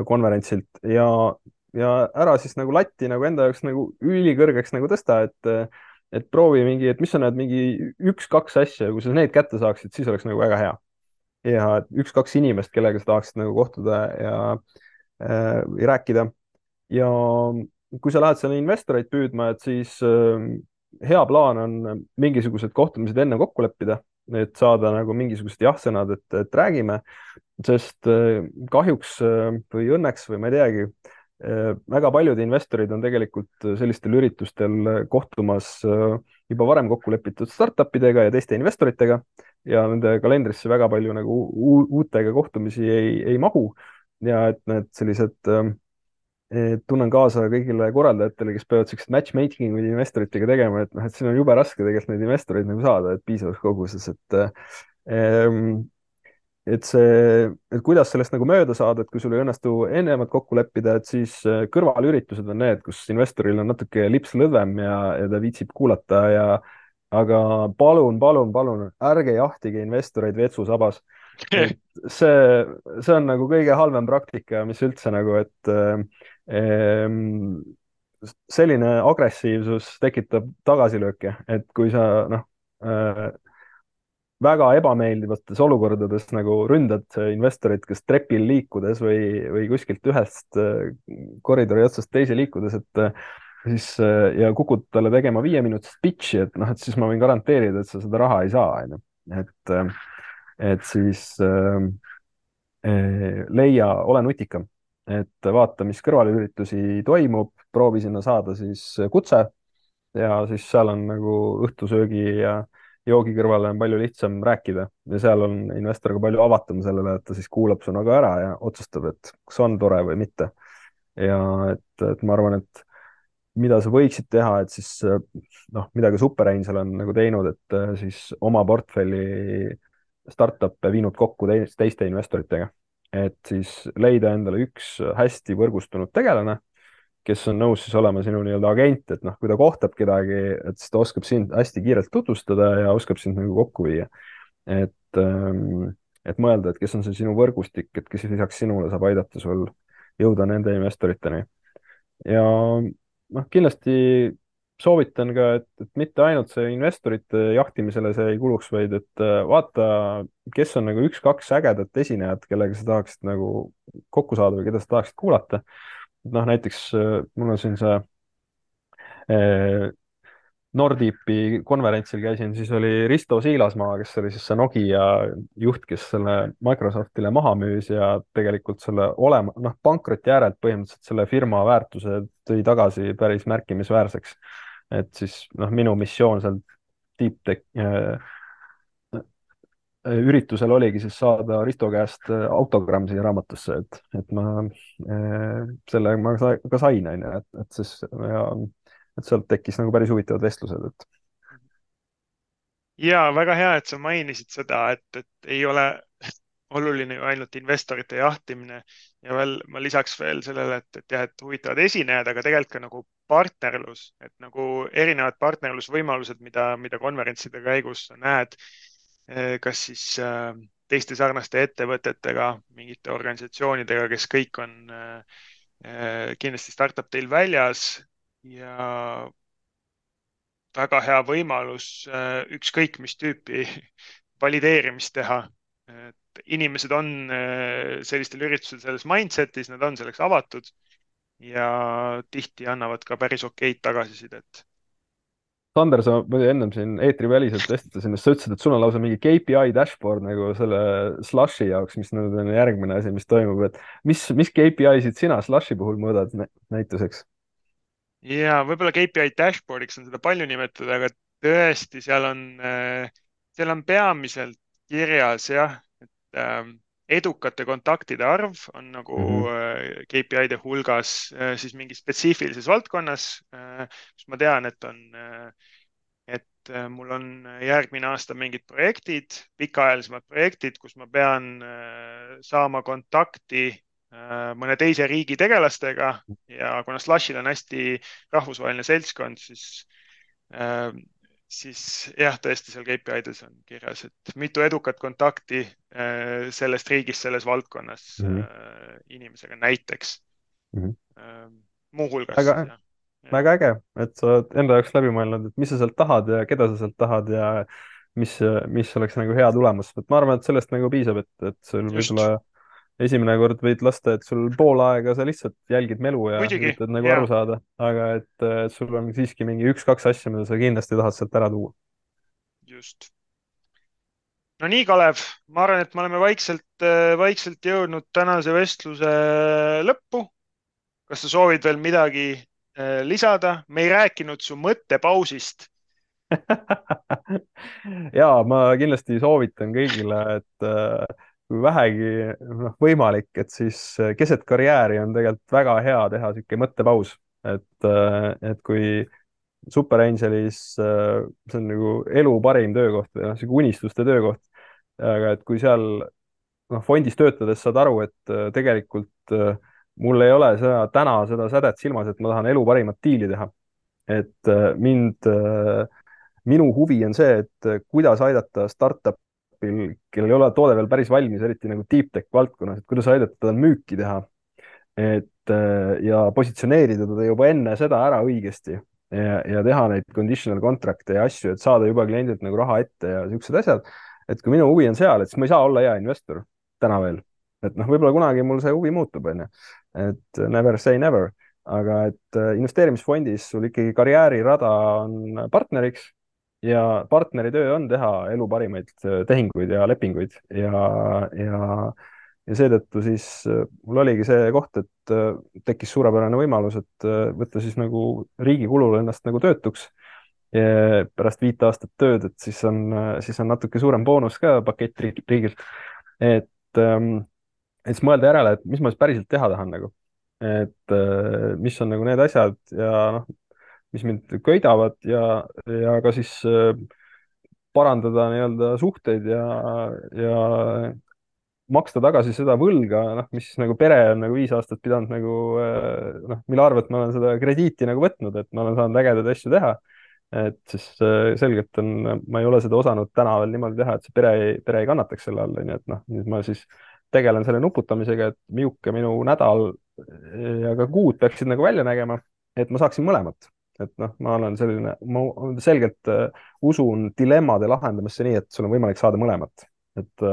konverentsilt ja ära siis nagu latti nagu enda jaoks nagu ülikõrgeks nagu tõsta, et proovi mingi, et mis on need mingi üks-kaks asja, kui sa need kätte saaksid, siis oleks nagu väga hea. ja üks-kaks inimest, kellega sa tahaksid nagu kohtuda ja rääkida. ja kui sa lähed seal investoreid püüdma, et siis hea plaan on mingisugused kohtumised enne kokku leppida, et saada nagu mingisugused jah-sõnad, et räägime, sest kahjuks või õnneks või ma ei teagi, väga paljud investorid on tegelikult sellistel üritustel kohtumas juba varem kokku lepitud startupidega ja teiste investoritega ja nende kalendrisse väga palju nagu uutega kohtumisi ei mahu. ja et need sellised tunnen kaasa kõigile korraldajatele, kes peavad siukseid matchmaking uid investoritega tegema, et noh, et siin on jube raske tegelikult neid investoreid nagu saada, et piisavas koguses, et see, et kuidas sellest nagu mööda saada, et kui sul ei õnnestu ennemalt kokku leppida, et siis kõrvalüritused on need, kus investoril on natuke lips lõdvem ja ta viitsib kuulata aga palun, ärge jahtige investoreid vetsusabas. et see on nagu kõige halvem praktika, mis üldse nagu, et selline agressiivsus tekitab tagasilööke, et kui sa noh väga ebameeldivates olukordades nagu ründad investorit, kas trepil liikudes või kuskilt ühest koridori otsast teise liikudes, et siis ja kukud talle tegema 5-minutist pitch'i, et noh, et siis ma võin garanteerida, et sa seda raha ei saa, onju. et siis ole nutikam, et vaata, mis kõrvalüritusi toimub, proovi sinna saada siis kutse ja siis seal on nagu õhtusöögi ja joogi kõrvale on palju lihtsam rääkida ja seal on investor ka palju avatum sellele, et ta siis kuulab su nagu ära ja otsustab, et kas on tore või mitte. ja et ma arvan, et mida sa võiksid teha, et siis noh, mida ka Super Angel on nagu teinud, et siis oma portfelli startup'e viinud kokku teiste investoritega, et siis leida endale üks hästi võrgustunud tegelane, kes on nõus siis olema sinu nii-öelda agent, et noh, kui ta kohtab kedagi, et siis ta oskab sind hästi kiirelt tutvustada ja oskab sind nagu kokku viia. et mõelda, et kes on see sinu võrgustik, et kes lisaks sinule saab aidata sul jõuda nende investoriteni. ja noh, kindlasti soovitan ka, et mitte ainult see investorite jahtimisele see ei kuluks, vaid et vaata, kes on nagu üks-kaks ägedat esinejat, kellega sa tahaksid nagu kokku saada või keda sa tahaksid kuulata. noh, näiteks mul on siin see Nordipi konverentsil käisin, siis oli Risto Siilasmaa, kes oli siis see Nokia juht, kes selle Microsoftile maha müüs ja tegelikult selle pankroti äärelt põhimõtteliselt selle firma väärtuse tõi tagasi päris märkimisväärseks. et siis noh, minu missioon seal Deep Tech üritusel oligi siis saada Risto käest autogramm siia raamatusse, et ma selle ma ka sain, onju, et siis et sealt tekkis nagu päris huvitavad vestlused, et. Ja väga hea, et sa mainisid seda, et ei ole oluline ju ainult investorite jahtimine ja veel ma lisaks veel sellele, et jah, et huvitavad esinejad, aga tegelikult ka nagu partnerlus, et nagu erinevad partnerlusvõimalused, mida konverentside käigus sa näed, kas siis teiste sarnaste ettevõtetega, mingite organisatsioonidega, kes kõik on kindlasti Startup Day'l väljas ja väga hea võimalus ükskõik mis tüüpi valideerimist teha. et inimesed on sellistel üritusel selles mindsetis, nad on selleks avatud ja tihti annavad ka päris okeid tagasisidet. Sander, sa muidu ennem siin eetriväliselt vestlesin, sa ütlesid, et sul on lausa mingi KPI dashboard nagu selle Slushi jaoks, mis nüüd on järgmine asi, mis toimub, et mis KPI-sid sina Slushi puhul mõõdad näituseks? Ja võib-olla KPI dashboardiks on seda palju nimetada, aga tõesti, seal on peamiselt kirjas jah, et edukate kontaktide arv on nagu KPI-de hulgas siis mingis spetsiifilises valdkonnas, kus ma tean, et mul on järgmine aasta mingid projektid, pikaajalisemad projektid, kus ma pean saama kontakti mõne teise riigi tegelastega ja kuna Slushil on hästi rahvusvaheline seltskond, siis jah, tõesti seal KPI-des on kirjas, et mitu edukat kontakti sellest riigist, selles valdkonnas inimesega näiteks. Muuhulgas. Väga äge, et sa oled enda jaoks läbi mõelnud, et mis sa sealt tahad ja keda sa sealt tahad ja mis oleks nagu hea tulemus. Et ma arvan, et sellest nagu piisab, et sul võib-olla esimene kord võid lasta, et sul pool aega sa lihtsalt jälgid melu ja üritad nagu aru saada, aga et sul on siiski mingi 1-2 asja, mida sa kindlasti tahad sealt ära tuua. Just. No nii, Kalev, ma arvan, et me oleme vaikselt jõudnud tänase vestluse lõppu. Kas sa soovid veel midagi lisada? Me ei rääkinud su mõttepausist. Jaa, ma kindlasti soovitan kõigile, et kui vähegi võimalik, et siis keset karjääri on tegelikult väga hea teha siuke mõttepaus, et kui Super Angelis see on nagu elu parim töökoht või siuke unistuste töökoht, aga et kui seal fondis töötades saad aru, et tegelikult mul ei ole täna seda sädet silmas, et ma tahan elu parimat diili teha. Et minu huvi on see, et kuidas aidata startupil, kellel ei ole toode veel päris valmis, eriti nagu deep tech valdkonnas, et kuidas aidata teda müüki teha. Ja positsioneerida teda juba enne seda ära õigesti ja teha neid conditional contract'e ja asju, et saada juba kliendilt nagu raha ette ja siuksed asjad. Et kui minu huvi on seal, et siis ma ei saa olla hea investor täna veel. Et võib-olla kunagi mul see huvi muutub, et never say never, aga et investeerimisfondis sul ikkagi karjäärirada on partneriks ja partneri töö on teha elu parimaid tehinguid ja lepinguid ja seetõttu siis mul oligi see koht, et tekkis suurepärane võimalus, et võtta siis nagu riigi kulul ennast nagu töötuks ja pärast 5 aastat tööd, et siis on natuke suurem boonus ka pakett riigilt, et siis mõelda järele, et mis ma siis päriselt teha tahan nagu, et mis on nagu need asjad ja mis mind köidavad ja ka siis parandada nii-öelda suhteid ja maksta tagasi seda võlga, mis nagu pere on nagu 5 aastat pidanud nagu mille arvelt ma olen seda krediiti nagu võtnud, et ma olen saanud ägedaid asju teha. Et siis selgelt ma ei ole seda osanud täna veel niimoodi teha, et see pere ei kannataks selle all, et nüüd ma siis tegelen selle nuputamisega, et milline minu nädal ja ka kuud peaksid nagu välja nägema, et ma saaksin mõlemat. Et ma olen selline, ma selgelt usun dilemmade lahendamisse nii, et sul on võimalik saada mõlemat. Et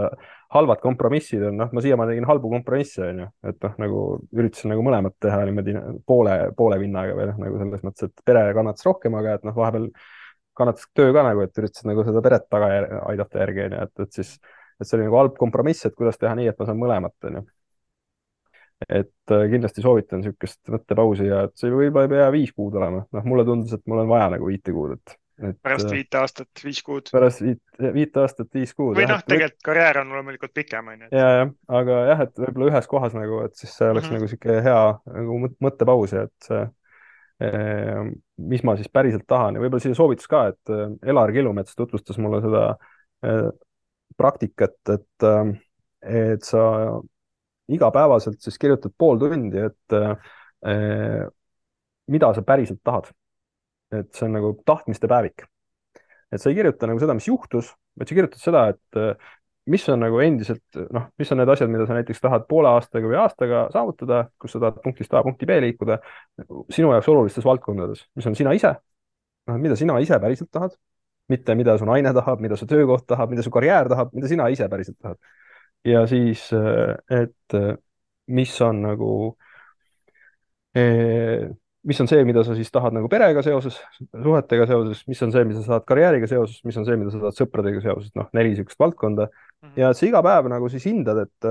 halvad kompromissid on, ma siiamaani tegin halbu kompromisse, et nagu üritasin nagu mõlemat teha niimoodi poole vinnaga või nagu selles mõttes, et pere kannatas rohkem, aga et vahepeal kannatas töö ka nagu, et üritasin nagu seda peret taga aidata järgi, et siis see oli nagu halb kompromiss, et kuidas teha nii, et ma saan mõlemat. Et kindlasti soovitan niisugust mõttepausi ja et see võib-olla ei pea 5 kuud olema. Mulle tundus, et mul on vaja nagu 5 kuud. Pärast 5 aastat 5 kuud. Pärast 5 aastat 5 kuud. Või tegelikult karjäär on loomulikult pikem. Aga jah, et võib-olla ühes kohas nagu, et siis see oleks nagu siuke hea nagu mõttepaus ja et see, mis ma siis päriselt tahan ja võib-olla siia soovitus ka, et Elar Kilumets tutvustas mulle seda praktikat, et sa igapäevaselt siis kirjutad pool tundi, et mida sa päriselt tahad. Et see on nagu tahtmiste päevik. Et sa ei kirjuta nagu seda, mis juhtus, vaid sa kirjutad seda, et mis on nagu endiselt, mis on need asjad, mida sa näiteks tahad poole aastaga või aastaga saavutada, kus sa tahad punktist A punkti B liikuda sinu jaoks olulistes valdkondades, mis on sina ise, mida sina ise päriselt tahad, mitte mida su naine tahab, mida su töökoht tahab, mida su karjäär tahab, mida sina ise päriselt tahad. ja siis, et mis on nagu eh, mis on see, mida sa siis tahad nagu perega seoses, suhetega seoses, mis on see, mida sa tahad karjääriga seoses, mis on see, mida sa tahad sõpradega seoses, noh, 4 niisugust valdkonda. ja et sa iga päev nagu siis hindad, et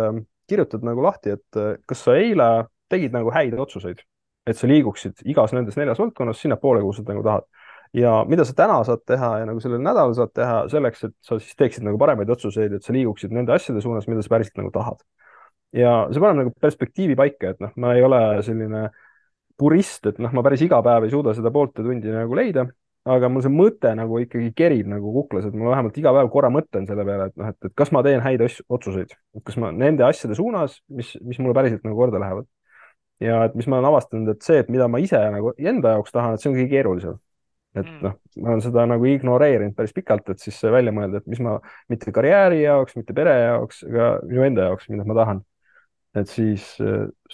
kirjutad nagu lahti, et kas sa eile tegid nagu häid otsuseid, et sa liiguksid igas nendes 4 valdkonnas sinnapoole, kuhu sa nagu tahad. ja mida sa täna saad teha ja nagu sellel nädalal saad teha selleks, et sa siis teeksid nagu paremaid otsuseid, et sa liiguksid nende asjade suunas, mida sa päriselt nagu tahad. ja see paneb nagu perspektiivi paika, et noh, ma ei ole selline purist, et noh, ma päris iga päev ei suuda seda poolte tundi nagu leida, aga mul see mõte nagu ikkagi kerib nagu kuklas, et ma vähemalt iga päev korra mõtlen selle peale, et noh, et kas ma teen häid otsuseid, et kas ma nende asjade suunas, mis mulle päriselt nagu korda lähevad. ja et mis ma olen avastanud, et see, et mida ma ise nagu enda jaoks tahan, et see on kõige keerulisem. et noh, ma olen seda nagu ignoreerinud päris pikalt, et siis välja mõelda, et mis ma mitte karjääri jaoks, mitte pere jaoks, aga minu enda jaoks, mida ma tahan. et siis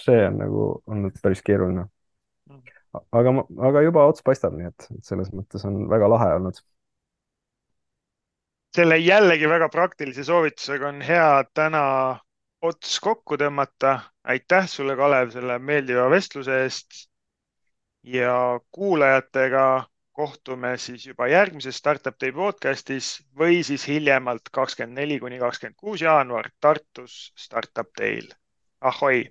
see on nagu olnud päris keeruline, aga juba ots paistab, nii et selles mõttes on väga lahe olnud. Selle jällegi väga praktilise soovitusega on hea täna ots kokku tõmmata. Aitäh sulle, Kalev, selle meeldiva vestluse eest ja kuulajatega kohtume siis juba järgmises Startup Day podcastis või siis hiljemalt 24 kuni 26 jaanuar Tartus Startup Day'l. Ahoi!